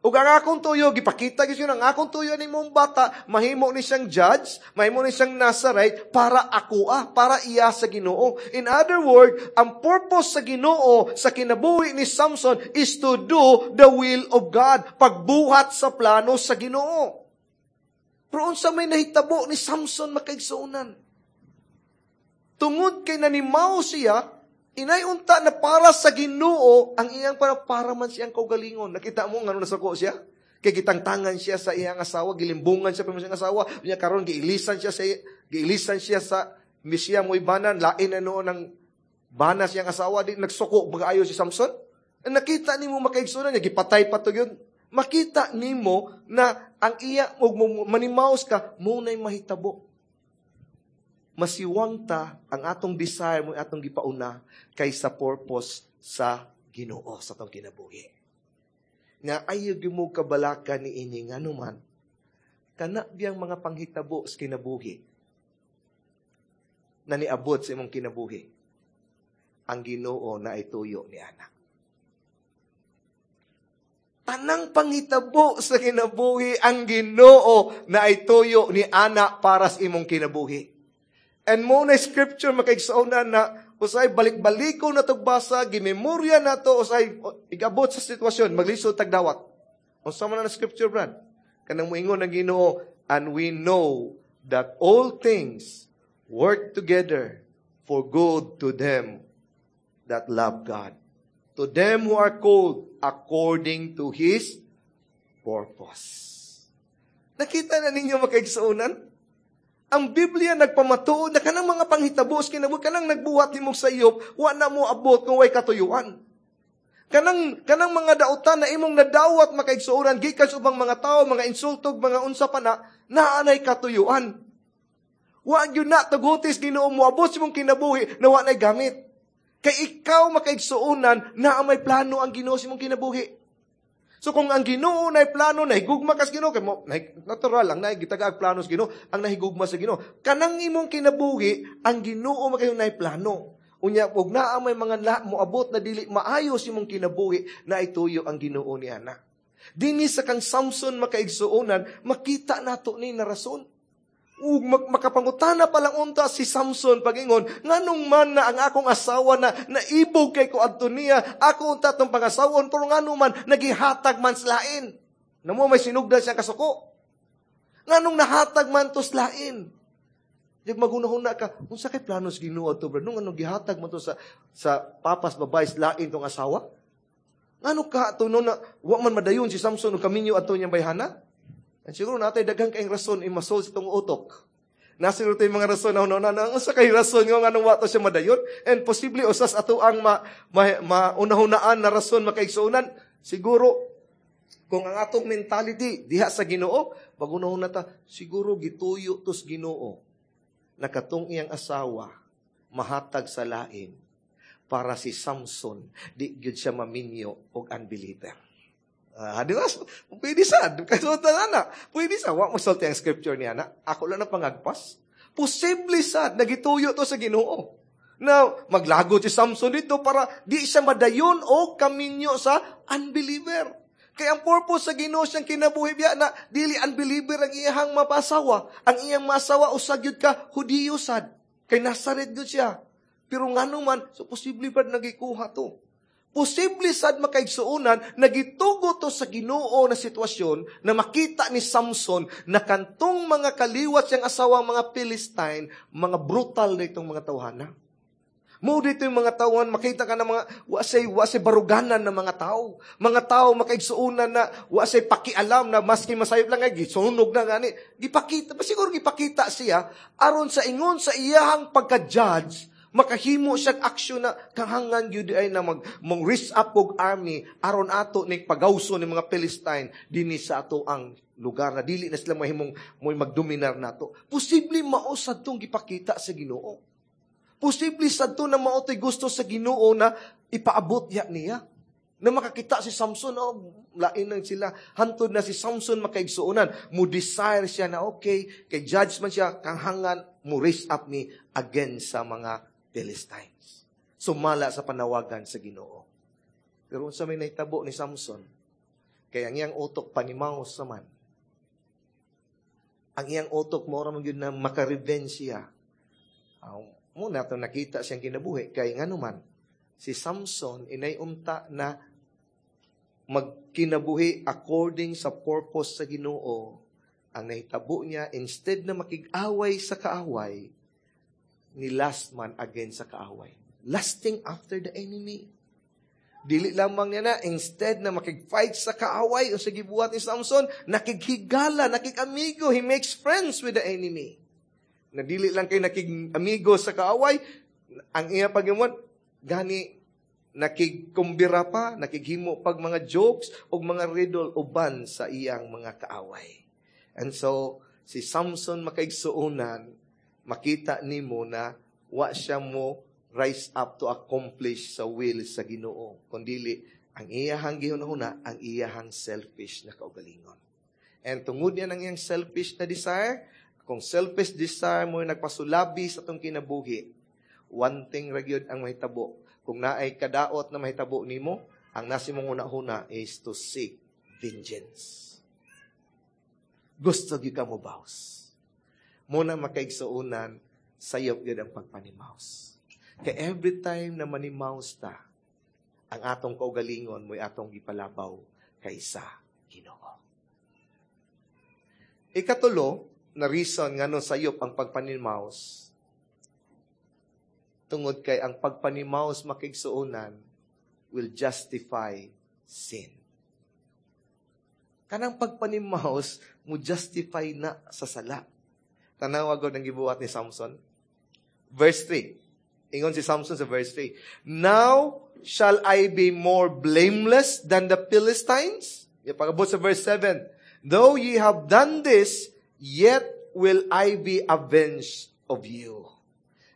Ug ang akong tuyo," gipakita gyud ang "akong tuyo ni mong bata, mahimo ni siyang judge, mahimo ni siyang Nazarite para ako para iya sa Ginoo." In other words, ang purpose sa Ginoo sa kinabuhi ni Samson is to do the will of God, pagbuhat sa plano sa Ginoo. Pero unsa may nahitabo ni Samson, makaigsuonan? Tungod kay nanimaw siya, inay unta na para sa Ginoo ang iyang para man siyang kaugalingon. Nakita mo ngano nasuko siya? Kay gitangtangan siya sa iyang asawa, gilimbungan siya pa sa iyang asawa. Unya karon giilisan siya sa misiya mo ibanan, lain na noon ang bana siyang asawa, di nagsuko pag-ayo si Samson. Nakita nimo, makaigsuonan niya, gipatay pa to yun. Makita nimo na ang iya og manimaos ka mo nay mahitabo, masiwang ta, ang atong desire mo atong gipauna kaysa purpose sa Ginoo sa atong kinabuhi. Nga ayaw gyud mo kabalaka ni ini, ngano man kana biyang mga panghitabo sa kinabuhi na niabot sa imong kinabuhi, ang Ginoo na ituyo ni ana. Tanang panghitabo sa kinabuhi, ang Ginoo na ituyo ni ana para sa imong kinabuhi. And mo na scripture, makaigsuonan, na usay balik-baliko na basa, gimemorya na to, usay igabot sa sitwasyon, maglisod tagdawat. Unsa man na scripture, Brad? Kanang moingon ang Ginoo, "And we know that all things work together for good to them that love God, to them who are called according to His purpose." Nakita na ninyo, makaigsuonan? Ang Biblia nagpamatuod na kanang mga panghitabo sa kinabuhi, kanang nagbuhat nimo sa sayop, wa na mo abot kung way katuyuan. Kanang mga dautan na imong nadawat, makaigsuonan, gikan sa ubang mga tao, mga insultog, mga unsa pa na, naanay katuyuan. Wa gyud na tugutis Ginoo mo abot sa imong kinabuhi na wa nay gamit. Kay ikaw, makaigsuonan, na may plano ang Ginoo sa imong kinabuhi. So kung ang Ginoo na plano, nahigugma kas Ginoo, kay mo natural lang na gitagaag plano sa Ginoo, ang nahigugma sa Ginoo. Kanang imong kinabuhi, ang Ginoo makayo na plano. Unya ug naa may mga la, moabot na dili maayo sa imong kinabuhi, na ituyo ang Ginoo ni ana. Dinhi sa kang Samson, makaigsuonan, makita nato ni na rason. Ug makapangutana pa lang unta si Samson pagingon, "Nganong man na ang akong asawa na naibog kay ko adto niya, ako unta tong pangasawon, pero ngano man nagihatag man sa lain?" Namo may sinugdan siyang kasuko. Nganong nahatag man to sa lain? Di magunahuna ka, unsa kay plano sa Ginoo to, bro? Nung ano gihatag mo to sa papas babae sa lain tong asawa? Ngano ka to no na wa man madayon si Samson og kaminyo adto niyang bayhana? And siguro natay daghang kayong rason imasol sa itong utok. Nasa siguro mga rason na na na unsa kay rason nga nganong wa to siya madayon? And possibly usas ato ang ma, ma, maunahunaan na rason, makaigsuonan, siguro kung ang atong mentality diha sa Ginoo, magunahuna ta, siguro gituyo tos Ginoo na katong iyang asawa mahatag sa lain para si Samson di gyud siya maminyo og unbeliever. Di ba? Pwede sa. Kasultan na. Pwede sa. Wa mo sulti ang scripture niya na. Ako lang na pangagpas. Posible sad nagituyo to sa Ginoo na maglagot si Samson dito para di siya madayon o kaminyo sa unbeliever. Kaya ang purpose sa Ginoo siyang kinabuhi biya na dili unbeliever ang iyahang mapasawa. Ang iyang masawa usag gyud ka Hudiyo sad. Kay Nazaret gyud siya. Pero ngano man, so posible pa nagikuha to. Posible sad, makaigsuonan, nagitugo to sa Ginoo na sitwasyon na makita ni Samson na kantong mga kaliwat siyang asawa, mga Philistine, mga brutal na itong mga tawhana. Mo dito yung mga tauhan, makita ka ng mga wasay baruganan ng mga tao. Mga tao makaigsuonan na wasay pakialam na maski masayop lang ay gisunog na gani. Gipakita, pa siguro gipakita siya aron sa ingon sa iyahang pagka-judge, makahimo siya aksyon na kahangan gyud ay na mag mong raise up og army aron ato ni pagawso ni mga Philistine dinhi sa ato ang lugar na dili na sila mahimong mo'y magdominar nato. Posible mao sad tong gipakita sa Ginoo. Posible sad to na mao to'y gusto sa Ginoo na ipaabot ya niya. Na makakita si Samson, oh, lain lang sila. Hantod na si Samson, makaigsuonan, mo desire siya na okay, kay judge man siya, kanghangan, mo raise up ni against sa mga Philistines. Sumala sa panawagan sa Ginoo. Pero unsa may nahitabo ni Samson? Kaya ang iyang utok panimaos sa man. Ang iyang utok mo ra man gyud na maka-revenge siya. Muna ito nakita siyang kinabuhi. Kay nga naman, si Samson inay unta na magkinabuhi according sa purpose sa Ginoo. Ang nahitabo niya, instead na makig-away sa kaaway, ni lust man against sa kaaway. Lusting after the enemy. Dili lamang niya na, instead na makig-fight sa kaaway, o sa gibuhat ni Samson, nakighigala, nakig-amigo, he makes friends with the enemy. Na dili lang kay nakig-amigo sa kaaway, ang iya pagimon, gani nakigkumbira pa, nakighimo pag mga jokes o mga riddle uban sa iyang mga kaaway. And so, si Samson, makaigsuonan, makita nimo na wa siya mo rise up to accomplish sa will sa Ginoo. Kundili, ang iyahang gihunahuna, ang iyahang selfish na kaugalingon. And tungod niya ng iyang selfish na desire, kung selfish desire mo nagpasulabi sa atong kinabuhi, one thing ra gyud ang mahitabo. Kung naay kadaot na mahitabo nimo, ang nasi mong una-una is to seek vengeance. Gusto gyud ka mo baws. Muna, makaigsuonan, sayop gyud ang pagpanimaus. Kay every time na manimaus ta, ang atong kaugalingon mo'y atong gipalabaw kaysa Ginoo. Ikatulo na reason ngano sayop ang pagpanimaus, tungod kay ang pagpanimaus, makigsuonan, will justify sin. Kanang pagpanimaus mo justify na sa sala. Tanawa gud ang gibuhat ni Samson. Verse 3. Ingon si Samson sa verse 3, "Now shall I be more blameless than the Philistines?" Ya, pag-abot sa verse 7, "Though ye have done this, yet will I be avenged of you."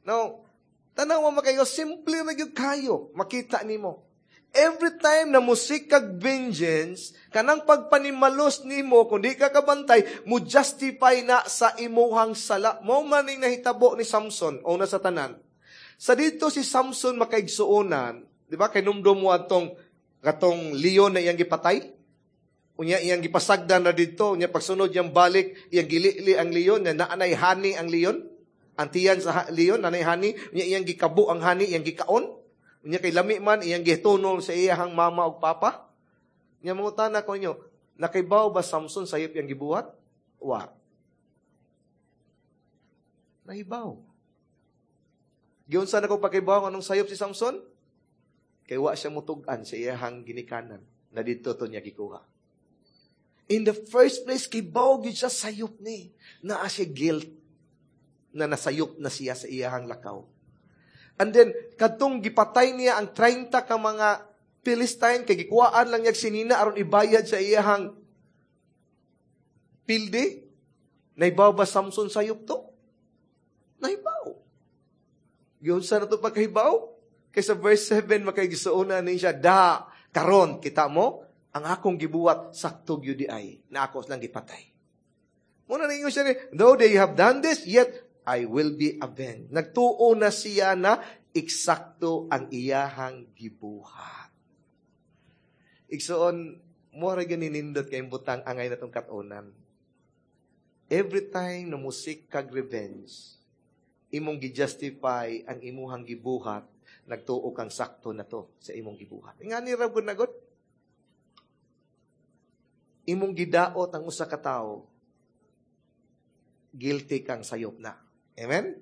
Now, tanawa makayo, simple na gyud kayo, makita nimo. Every time na mo-seek kag vengeance, kanang pagpanimalos nimo, kung di ka kabantay, mo justify na sa imuhang sala. Mo man ning nahitabo ni Samson, una sa tanan. Sa dito si Samson, makaigsuonan, di ba, kay numdum mo atong katong leon na iyang gipatay? Unya iyang gipasagdan na dito, unya pagsunod iyang balik, iyang gilili ang leon, na naanay honey ang leon. Ang tiyan sa leon, naanay honey, unya iyang gikabo ang honey, iyang gikaon. Unya kay lami man, iyang gitunol sa iyahang mama ug papa. Unya mangutana ko inyo, nakaibaw ba Samson sayop iyang gibuhat? Wa. Nahibaw. Giunsa na ko pakibaw anong sayop si Samson? Kay wa siya mutug-an sa iyahang ginikanan na dito to niya gikuha. In the first place, kibaw gyud siya sayop ni. Naa siya guilt na nasayop na siya sa iyahang lakaw. And then, kadtong gipatay niya ang 30 ka mga Philistine, kay gikuhaan lang niya sinina aron ibayad sa iyahang pildi. Nahibaw ba Samson sayop to? Nahibaw. Giunsa na to pagkahibaw? Kay sa verse 7, makaigsuonan ni siya, "Da, karon, kita mo, ang akong gibuhat, sakto gyud ay, na ako lang gipatay." Muna ninyo siya ni, "Though they have done this, yet I will be avenged. Nagtuo na siya na eksakto ang iyahang gibuhat. Igsoon, mo ra ganinindot kay butang angay na tong katunan. Every time na mo-seek kag revenge, imong gi-justify ang imuhang gibuhat, nagtuo kang sakto na to sa imong gibuhat. Nga ni ra gud nagot. Imong gidaot ang usa ka tawo, guilty kang sayop na. Amen?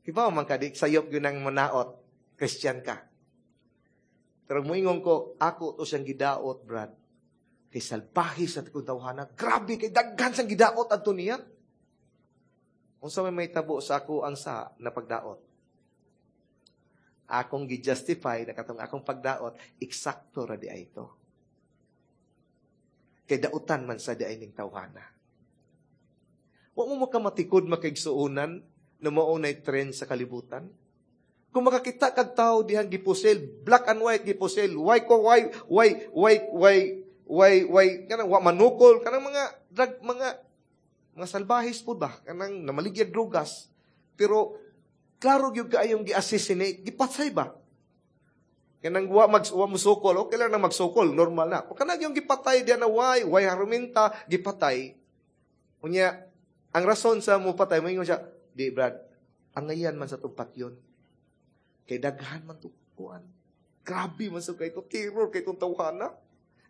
Kibaw man ka di sayop gyud ang manaot, Christian ka. Pero muingon ko, ako to siyang gidaot, Brad. Kay salbahe sa tikong tawhana. Grabe, kay daghan siyang gidaot adto niya. Unsa may mahitabo sa ako ang sa na pagdaot? Akong gi-justify na katong akong pagdaot, eksakto ra di ay ito. Kay dautan man sa di ay ning tawhana. Wa mo makamatikod, makaigsuonan, na mao nay trend sa kalibutan. Kung makakita kag tao dihang gipusil, black and white gipusil, why ko why kanang wa manukol, kanang mga drug, mga salbahis po ba, kanang namaligyag drugas, pero klaro gyud kaayong gi-assassinate, gipatay ba? Kanang wa musukol, okay lang na magsukol, normal na. Kanang yung gipatay diyan na why haruminta gipatay. Unya, ang rason sa mo patay, moingon siya, "Di Brad, angayan man sa tong yun. Kay daghan man to kuan. Grabe man sa kay to terror kay itong tawhana.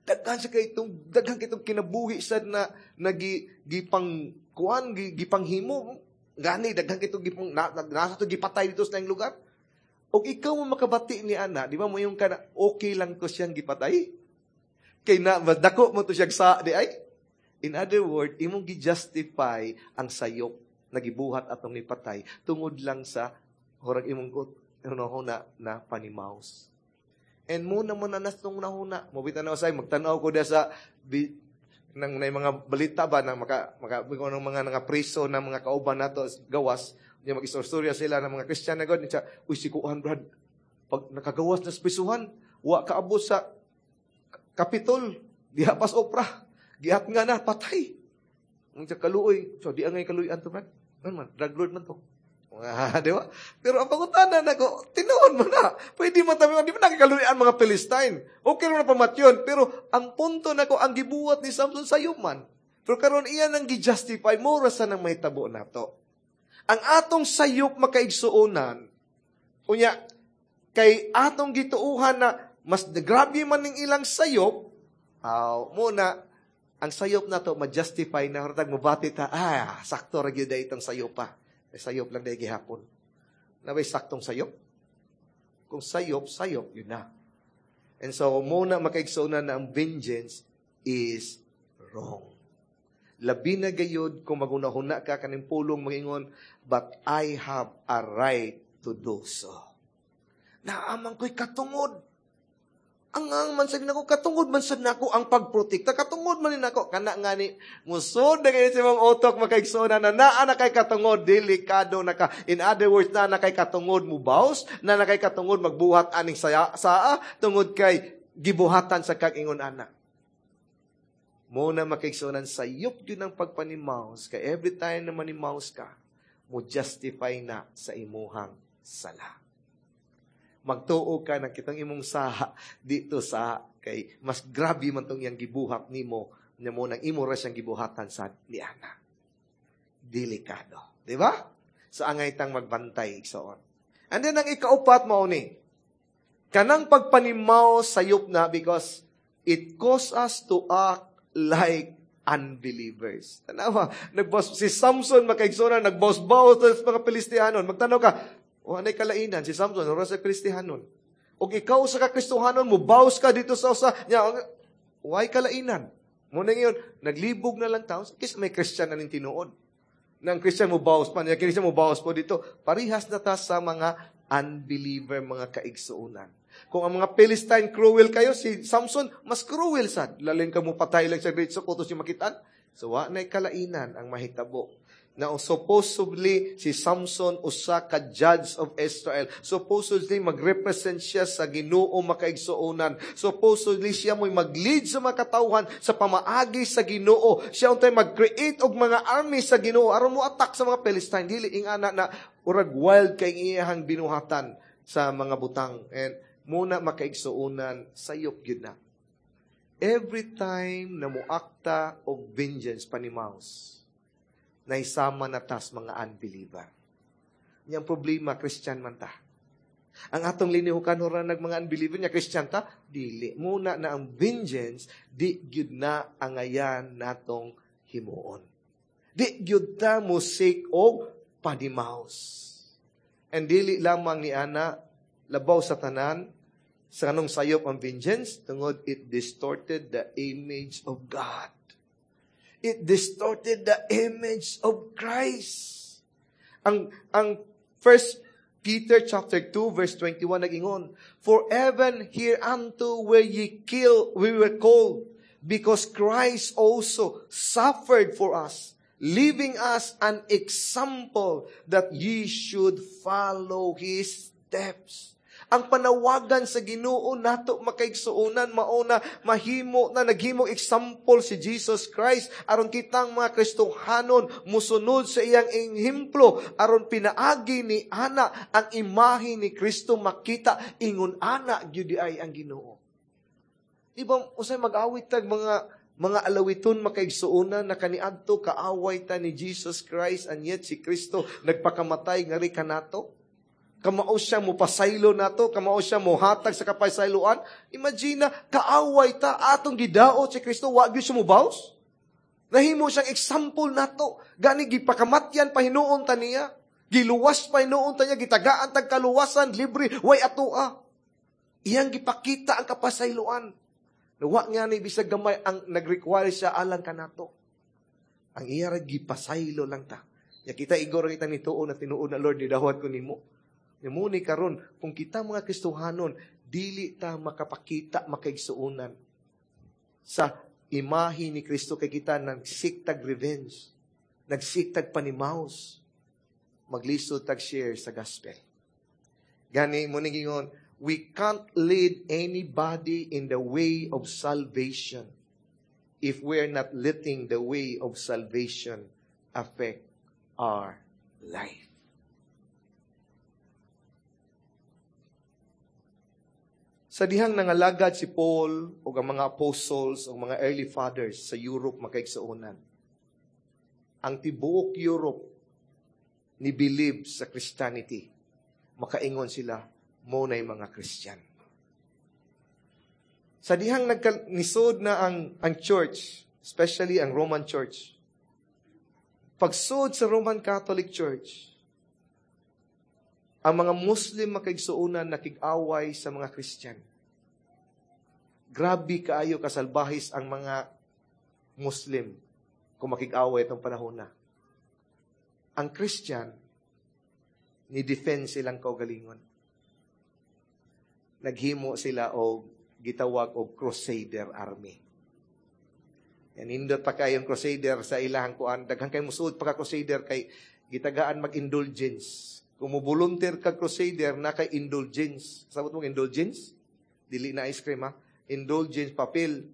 Daghan sa kay itong daghan kay itong kinabuhi sad na nagi gipang kuan gipanghimo. Gani daghan kay itong gipang na, nasa to gipatay dito sa laing lugar." Og ikaw mo makabati ni ana, di ba mo yung kana okay lang ko siyang gipatay? Kay na dako mo to siyang sa di ay. In other word, imong gi-justify ang sayop na gibuhat atong nipatay tungod lang sa hurag imong hunahuna na panimaus. And muna mo na nas tong hunahuna. Mobita na usay magtan-aw ko sa bi, nang na mga balita ba nang maka maka ng mga nga preso ng mga kauban nato gawas niya, mag-istorya sila ng mga Kristiyan na god niya, "Uy, si kuan, Brad, pag nakagawas na sa prisuhan, wa kaabot sa Kapitol diha pas opra, gihat nga na patay." Ang kaluoy, so di angay kaluoyan to, Brad, man man drug lord man to. Ah, di ba? Pero ang pangutana nako, tinuod mo na. Pwede man tabi, di ba nakikaluyan mga Philistine? Okay na pamatyon. Pero ang punto nako, ang gibuhat ni Samson sayo man. Pero karon iyan ang gi-justify mo ra sa nang mahitabo nato. Ang atong sayop, makaigsuonan, unya, kay atong gituuhan na mas grabe man ning ilang sayop, aw, muna, ang sayop nato ma-justify na hartag mobati ta, "Ah, sakto ra gyud itong sayop pa. Eh, sayop lang dahil gihapon." Nabay saktong sayop? Kung sayop, sayop, yun na. And so, muna makaigsuonan na ang vengeance is wrong. Labi na gayod kung magunahuna ka kaning pulong mangingon, "But I have a right to do so. Naaman ko'y katungod. Ang man sad nako, katungod man sad nako ang pagprotekta, katungod man nako." Kana nga ni musod na kayo sa imong utok, makaigsoona, na naa na kay katungod, delikado na ka. In other words, naa na kay katungod mubaws, naa na kay katungod magbuhat aning saya, saa tungod kay gibuhatan sa kag ingon ana. Mo na, makaigsuonan, sayop gyud ang pagpanimaus kay every time na manimaus ka, mo justify na sa imuhang sala. Magtuo ka ng kitang imong saha dito sa kay mas grabe man tong iyang gibuhat nimo nya mo nang imo ra siyang gibuhatan sa ni ana. Delikado, di ba? So angay tang magbantay, igsoon. And then ang ikaupat mao ni kanang pagpanimaw, sayop na because it cause us to act like unbelievers. Tanawa, nagboss si Samson, makaigsoon, nagboss-baos sa mga Filistianon. Magtanaw ka, o anay kalainan, si Samson, ora sa Kristihanon. O ikaw sa kakristuhanon, mo baws ka dito sa usa, nya, why kalainan? Muna ngayon, naglibog na lang tao, kasi may Christian na ning tinuod. Nang Christian mo baws pa, niya Christian mo baws po dito. Parihas na ta sa mga unbeliever, mga kaigsuonan. Kung ang mga Philistine cruel kayo, si Samson, mas cruel sad. Lalin ka mo patay lang sa great so kutos yung makitaan. So, wa na'y kalainan ang mahitabo. Now, supposedly, si Samson usa ka judge of Israel. Supposedly, magrepresent siya sa Ginoo, makaigsuonan. Supposedly, siya mo'y mag-lead sa mga katawhan sa pamaagi sa Ginoo. Siya untay mag-create og mga army sa Ginoo aron mo attack sa mga Philistine. Dili ingana na urag wild kay iyahang binuhatan sa mga butang. And muna, makaigsuonan, sayop gyud na. Every time na muakta og vengeance, panimaus, naisama na tas mga unbeliever. Yang problema, Christian man ta. Ang atong linihukan ora nag mga unbeliever niya, Christian ta, dili. Muna na ang vengeance, di gyud na angayan natong himuon. Di gyud ta mo seek og panimaus. And dili lamang ni ana, labaw sa tanan, sa anong sayop ang vengeance, tungod it distorted the image of God. It distorted the image of Christ. Ang First Peter chapter 2 verse 21 nagingon, "For even hereunto were ye kill, we were called, because Christ also suffered for us, leaving us an example that ye should follow His steps." Ang panawagan sa Ginoo nato, makaigsuonan, mauna mahimo na naghimo example si Jesus Christ aron kitang mga Kristohanon musunod sa iyang ehemplo, aron pinaagi ni ana ang imahe ni Kristo makita, ingon ana gyud ay ang Ginoo. Di ba usay mag-awit tag mga alawiton, makaigsuonan, na kaniadto kaaway ta ni Jesus Christ, and yet si Kristo nagpakamatay ngari kanato? Kamao siya mo pasaylo nato, kamao siya mo hatag sa kapasayloan. Imagine na, kaaway ta, atong gidaot si Kristo, wa gyud siya mobaws. Nahimo siyang example nato. Gani gipakamatyan pa hinuon ta niya. Giluwas pa hinuon ta niya, gitagaan tag kaluwasan, libre, way atoa. Iyang gipakita ang kapasayloan. Wa nga ni bisag gamay ang nag-require siya alang kanato. Ang iya ra gipasaylo lang ta. Ya kita igor kita nituo na tinuod na, "Lord, nidawat ko nimo." Muni karon, kung kita mga Kristohanon, dili ta makapakita, makaigsuonan, sa imahe ni Kristo kay kita nag-seek tag revenge, nag-seek tag panimaus, maglisod tag share sa gospel. Gani mo gingon, we can't lead anybody in the way of salvation if we're not letting the way of salvation affect our life. Sa dihang nangalagad si Paul o ang mga apostles o mga early fathers sa Europe, makaigsuonan, ang tibuok Europe ni believe sa Christianity. Makaingon sila, mo na'y mga Christian. Sa dihang nisod na ang church, especially ang Roman Church, pagsod sa Roman Catholic Church, ang mga Muslim, makaigsuonan, nakig-away sa mga Christian. Grabe kaayo kasalbahis ang mga Muslim kung makig-away itong panahon na. Ang Christian, ni-defend silang kaugalingon. Naghimo sila og gitawag og Crusader Army. Yan, nindot pa kayong Crusader sa ilahang kuan. Daghan kay musuod pa ka Crusader kay gitagaan mag-indulgence. Kung mo volunteer ka Crusader, na kay indulgence. Sabot mong indulgence? Dili na ice cream, ha? Indulgence, papel.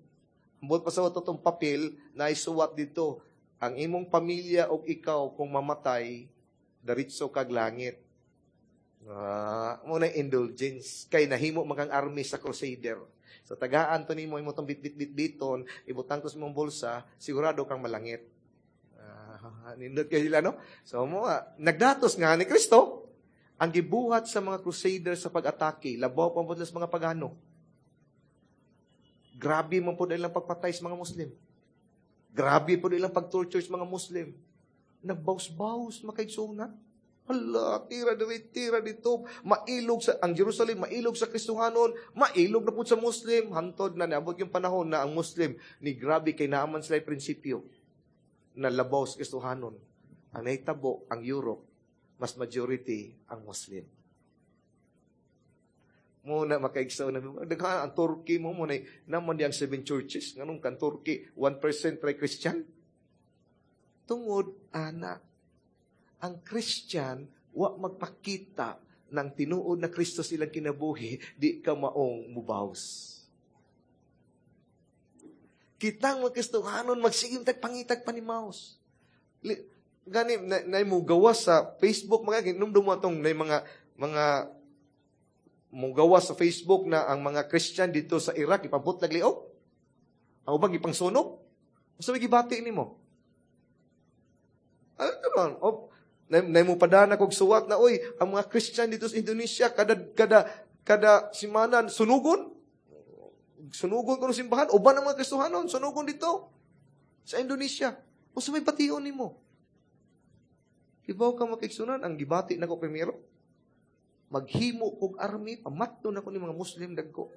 Ambot pa sa itong papel, na isuwat dito. Ang imong pamilya o ikaw, kung mamatay, diretso kag langit. Ah, mo na indulgence. Kay nahimo makang army sa Crusader. So tagaan to nimo imo tong bit-bit-bit-biton, ibutang to sa imong bulsa, sigurado kang malangit. Ah, nindot kayo sila, no? So mo, nagdatos nga ni Kristo, ang gibuhat sa mga Crusader sa pag-atake, labaw pa po sa mga pagano. Grabe man po ilang pagpatay sa mga Muslim. Grabe po ilang pag-torture sa mga Muslim. Nagbaus-baus, makaigsunan. Hala, tira diri, tira dito. Mailog sa, ang Jerusalem, mailog sa Kristohanon, mailog na po sa Muslim. Hantod na, niabot yung panahon na ang Muslim, ni grabe kay naaman sila prinsipyo na labaw sa Kristohanon. Ang nahitabo, ang Europe, mas majority ang Muslim. Muna makaigsaw na, daghan ang Turkey mo, muna, naman di ang seven churches, nganong kan Turkey, 1% try Christian. Tungod, ana. Ang Christian, wa magpakita ng tinuod na Kristo silang kinabuhi, di ka maong mubaws. Kitang mga Kristohanon, magsigim tag pangitag panimaos. Gani, na mo gawas sa Facebook, mga ginumdum mo atong na mga mo gawas sa Facebook na ang mga Christian dito sa Iraq ipabot liog. Ang ubang ipangsunog. Unsa may gibati nimo? Ano to ron? O, na mo padana kog suwat na, "Oy, ang mga Christian dito sa Indonesia kada simana sunugon. Sunugon kuno simbahan, uban ang mga Kristohanon, sunugon dito sa Indonesia." Unsa may bation nimo? Ibaw ka, makigsunan, ang gibati nako primero, maghimo kog army, pamatto na ko ni mga Muslim dagko.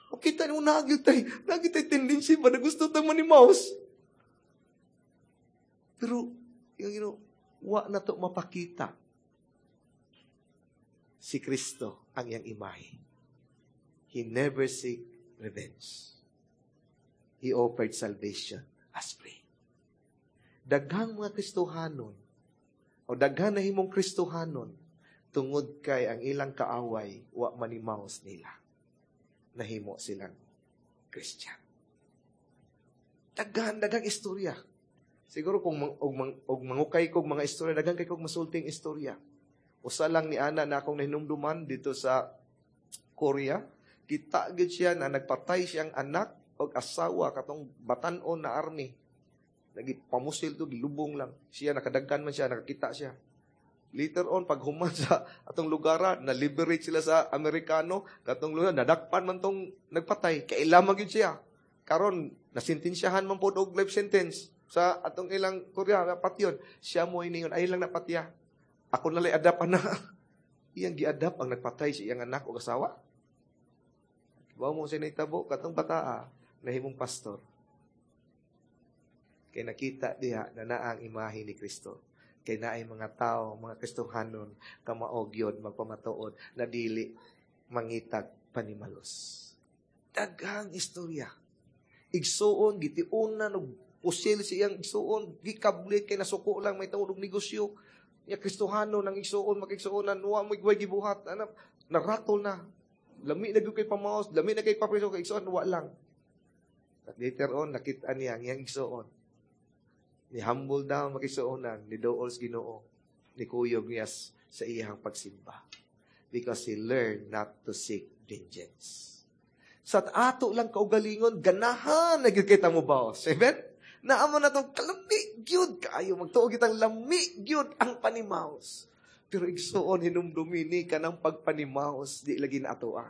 O kita mo, nagyud tay tendency ba na gusto ta manimaos. Pero, yung wa na to mapakita si Kristo ang iyang imahe. He never seek revenge. He offered salvation as free. Daghang mga Kristohanon o daghan na himong Kristohanon tungod kay ang ilang kaaway wa manimaos nila. Nahimo silang Christian. Daghan, daghang istorya. Siguro kung og mangukay kog mga istorya, daghan kay kog masulting istorya. Usa lang ni ana na akong nahinumduman dito sa Korea, kita gid siya na nagpatay siyang anak og asawa katong batan-on na army. Nagipamusil to, gilubong lang. Siya nakadagkan man siya, nakakita siya. Later on, pag human sa atong lugar, na liberate sila sa Amerikano, katong lugar, nadakpan man tong nagpatay. Kaila man gyud siya. Karon, nasintensyahan man po og life sentence sa atong ilang Korea, patyon. Siya mo ini ay lang napatya. "Ako na lay adapt na." Iyang giadapt ang nagpatay sa iyang anak o asawa. Wa mo siya nahitabo, katong bataa, nahimong pastor. Kay nakita diha na naa ang imahe ni Kristo. Kay naay mga tao, mga Kristohanon, kamaog yun, magpamatuod, na dili mangitag panimalos. Daghang istorya. Igsuon, gitiunan, og pusil sa iyang igsuon, gikablit kay nasuko lang may tawag og negosyo. Ya Kristohano nang igsuon, makigsuonan, wa mo igway gibuhat, anak, naratol na. Lami na gyud kay pamaos, lami na kay papriso kay igsuon, wa lang. But later on, nakita niya ang iyang igsuon. Ni humble down makigsuonan, ni dool sa Ginoo, ni kuyog niya sa iyang pagsimba. Because he learned not to seek vengeance. Sa ato lang kaugalingon, ganahan na gyud kita mo baos. Amen? Naamo na itong kalami gyud kaayo magtuo kitang lami gyud ang panimaos. Pero igsuon, hinumdumi ni kanang pagpanimaos di lagi na ato ah.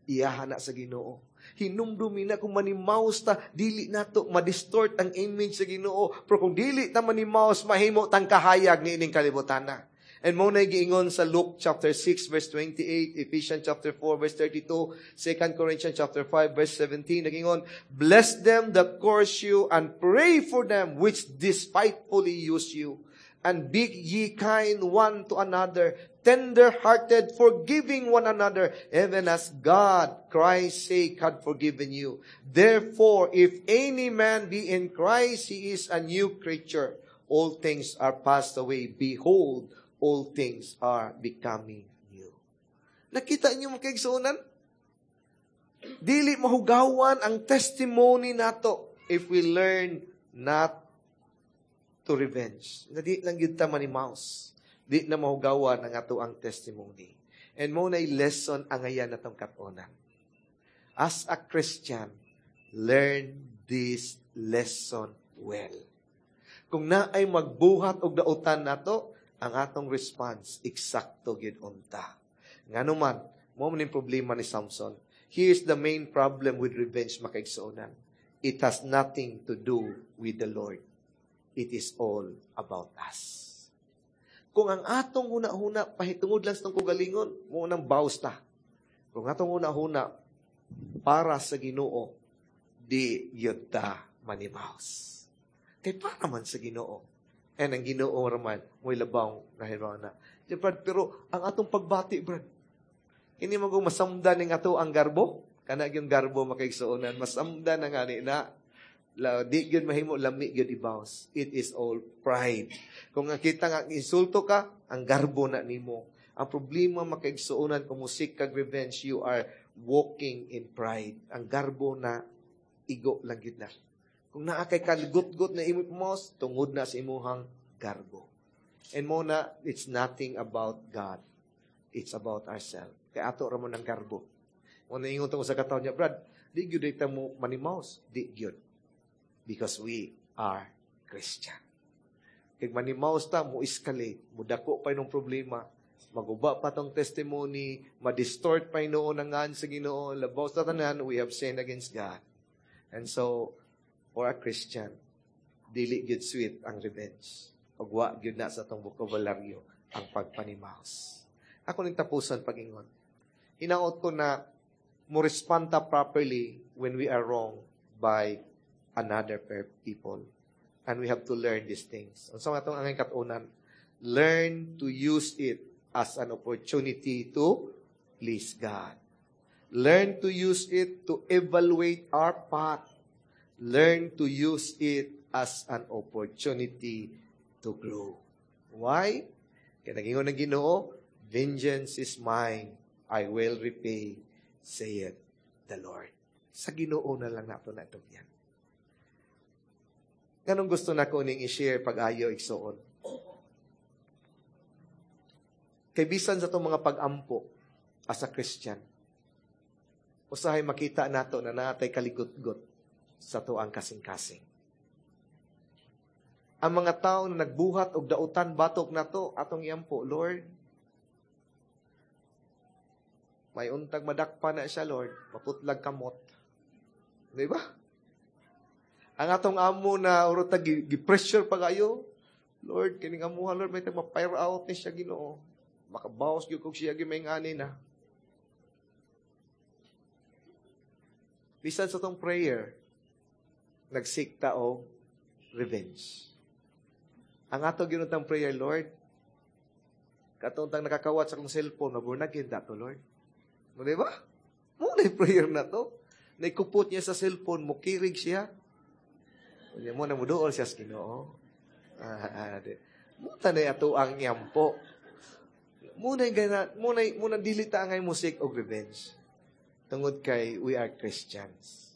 Iyahan na sa Ginoo. Hinumdumi na kung manimaos ta, dili nato ma-distort ang image sa Ginoo. Pero kung dili ta manimaos, mahimo tang kahayag ni ining kalibutan na. And mo na giingon sa Luke chapter 6 verse 28, Ephesians chapter 4 verse 32, 2 Corinthians chapter 5 verse 17, nagingon, "Bless them that curse you and pray for them which despitefully use you. And be ye kind one to another, tender-hearted, forgiving one another, even as God, Christ's sake, had forgiven you. Therefore, if any man be in Christ, he is a new creature. All things are passed away. Behold, all things are becoming new." Nakita niyo, mga kaigsuonan? Dili mahugawan ang testimony nato if we learn not to revenge. Na di lang gyud ta manimaos. Di na mahugawan ang ato ang testimony. And mo na lesson ang ayan natong katonan. As a Christian, learn this lesson well. Kung naay magbuhat og dautan nato, ang atong response, eksakto gyud unta. Ngano man, mo man problema ni Samson. Here's the main problem with revenge, makaigsuonan. It has nothing to do with the Lord. It is all about us. Kung ang atong huna-huna, pahitungod lang sa itong kugalingon, mo nang bawas ta. Kung atong huna-huna, para sa Ginoo, di yun ta manimaos. Kay para man sa Ginoo. And ang Ginoo raman, mo'y labaw na na. Di, Brad, pero ang atong pagbati, Brad, hindi mo kung masamdan ng ato ang garbo, kana yung garbo, makaigsuonan, masamdan na nga ni na. La, di gyud mahimo lami gyud ibaws. It is all pride. Kung ang kita nga insulto ka, ang garbo na nimo. Ang problema, makaigsuonan, kung mo-seek kag revenge, you are walking in pride. Ang garbo na igo lang gyud na. Kung naa kay kalgut-gut na imo pamaos, tungod na sa imuhang garbo. And mo na, it's nothing about God. It's about ourselves. Kay ato ra man ang garbo. Mo na ingon sa kataon niya, "Brad, di gyud ta mo manimaos." Di gyud. Because we are Christian. Kay manimaos ta, mo escalate, mo dako pa inong problema, maguba pa tong testimony, ma-distort pa hinuon ang ngan sa Ginoo, labaw sa tanan, we have sinned against God. And so, for a Christian, dili gyud sweet ang revenge. Ug wa gyud na sa atong bokabularyo ang pagpanimaos. Ako ning tapusan pag-ingon. Hinaot ko na mo respond ta properly when we are wrong by another people. And we have to learn these things. Unsa man atong angay katunan? Learn to use it as an opportunity to please God. Learn to use it to evaluate our path. Learn to use it as an opportunity to grow. Why? Kaya nagingon ng Ginoo, "Vengeance is mine, I will repay, saith the Lord." Sa Ginoo na lang nato na yan. Ganong gusto na ko ning i-share pag-ayo, igsuon? Kay bisan sa itong mga pag-ampo as a Christian, usahay makita nato na natay kaligot-got sa tuang kasing-kasing. Ang mga tao na nagbuhat og dautan batok nato, atong iampo, "Lord, may untag madakpa na siya, Lord, maputlag kamot." Di ba? Ang atong amo na uro ta gi-pressure pa kayo, "Lord, kining amuha, Lord, may tag ma-fire out ni siya, Ginoo. Makabawas gyud kog siya may ngani na." Bisan sa tong prayer, nag-seek ta og revenge. Ang ato ginuntang prayer, "Lord, katong tang nakakawat sa akong cellphone, maborn again to, Lord." Mo, di ba? Mo na prayer na to. Naikupot niya sa cellphone, mukirig siya. Unya mo na muduol siya sa Ginoo. Mo na ato ang yampo. Muna gana, muna muna dili ta angay mo-seek og revenge. Tungod kay we are Christians.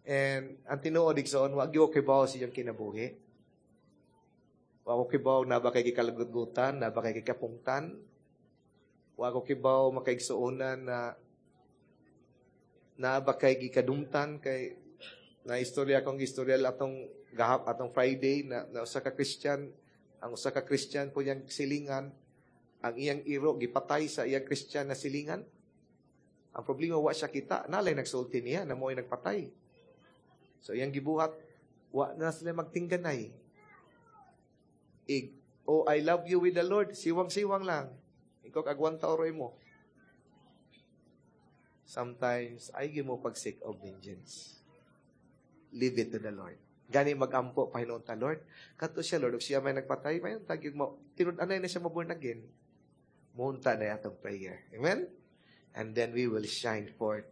And ang tinuod, igsoon, wa gyud kay bawo sa iyang kinabuhi. Wa ko kibaw na ba kay gikalagutgutan, na ba kay gikapungtan. Wa ko kibaw, makaigsuonan, na na ba kay gikadumtan, kay na istorya akong istorya atong gahap atong Friday na usa ka Christian, ang usa ka Christian po iyang silingan, ang iyang iro gipatay sa iyang Christian na silingan. Ang problema, wa siya kita, nalay nagsulti niya na mo'y nagpatay. So iyang gibuhat, wa na sila magtingganay. Ig, "Oh, I love you with the Lord," siwang-siwang lang. Ikaw agwanta oroy mo. Sometimes, ay mo pag-seek of vengeance. Leave it to the Lord. Gani magampo pahinuon ta, "Lord, kadto siya, Lord, ug siya may nagpatay, may tagyog mo, tinud-anay na siya maborn again." Munta na atong prayer. Amen? And then we will shine forth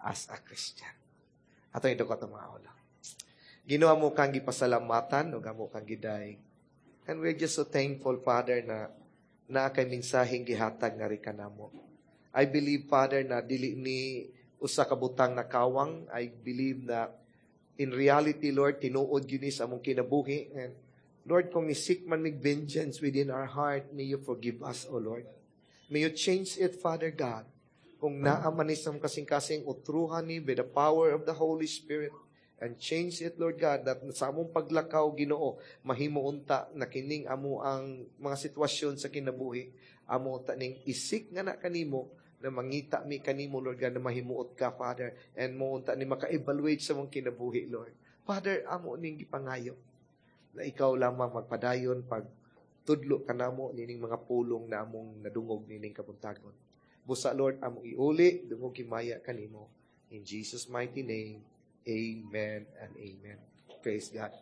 as a Christian. Ato yung dukot ang mga ulo. Ginoo, amo kang gipasalamatan, ug amo kang giday. And we're just so thankful, Father, na naa kay mensaheng gihatag nga kanamo. I believe, Father, na dili ni usa ka butang na kawang. I believe na in reality, Lord, tinuod gyud ni sa among kinabuhi. And Lord, kung ni-seek man mig vengeance within our heart, may you forgive us, O Lord. May you change it, Father God. Kung naa man ni sa among kasing-kasing, utruhan ni by the power of the Holy Spirit. And change it, Lord God, that sa among paglakaw, Ginoo, mahimo unta na kining amo ang mga sitwasyon sa kinabuhi. Amo unta ning i-seek nga na kanimo, na mangita mi kanimo, Lord God, na mahimuot ka, Father, and mo unta ni maka-evaluate sa mong kinabuhi, Lord. Father, amo ning gipangayo na ikaw lamang magpadayon pag tudlo kanamo nining mga pulong na among nadungog nining kabuntagon. Busa, Lord, among iuli, dungog himaya kanimo. In Jesus' mighty name, amen and amen. Praise God.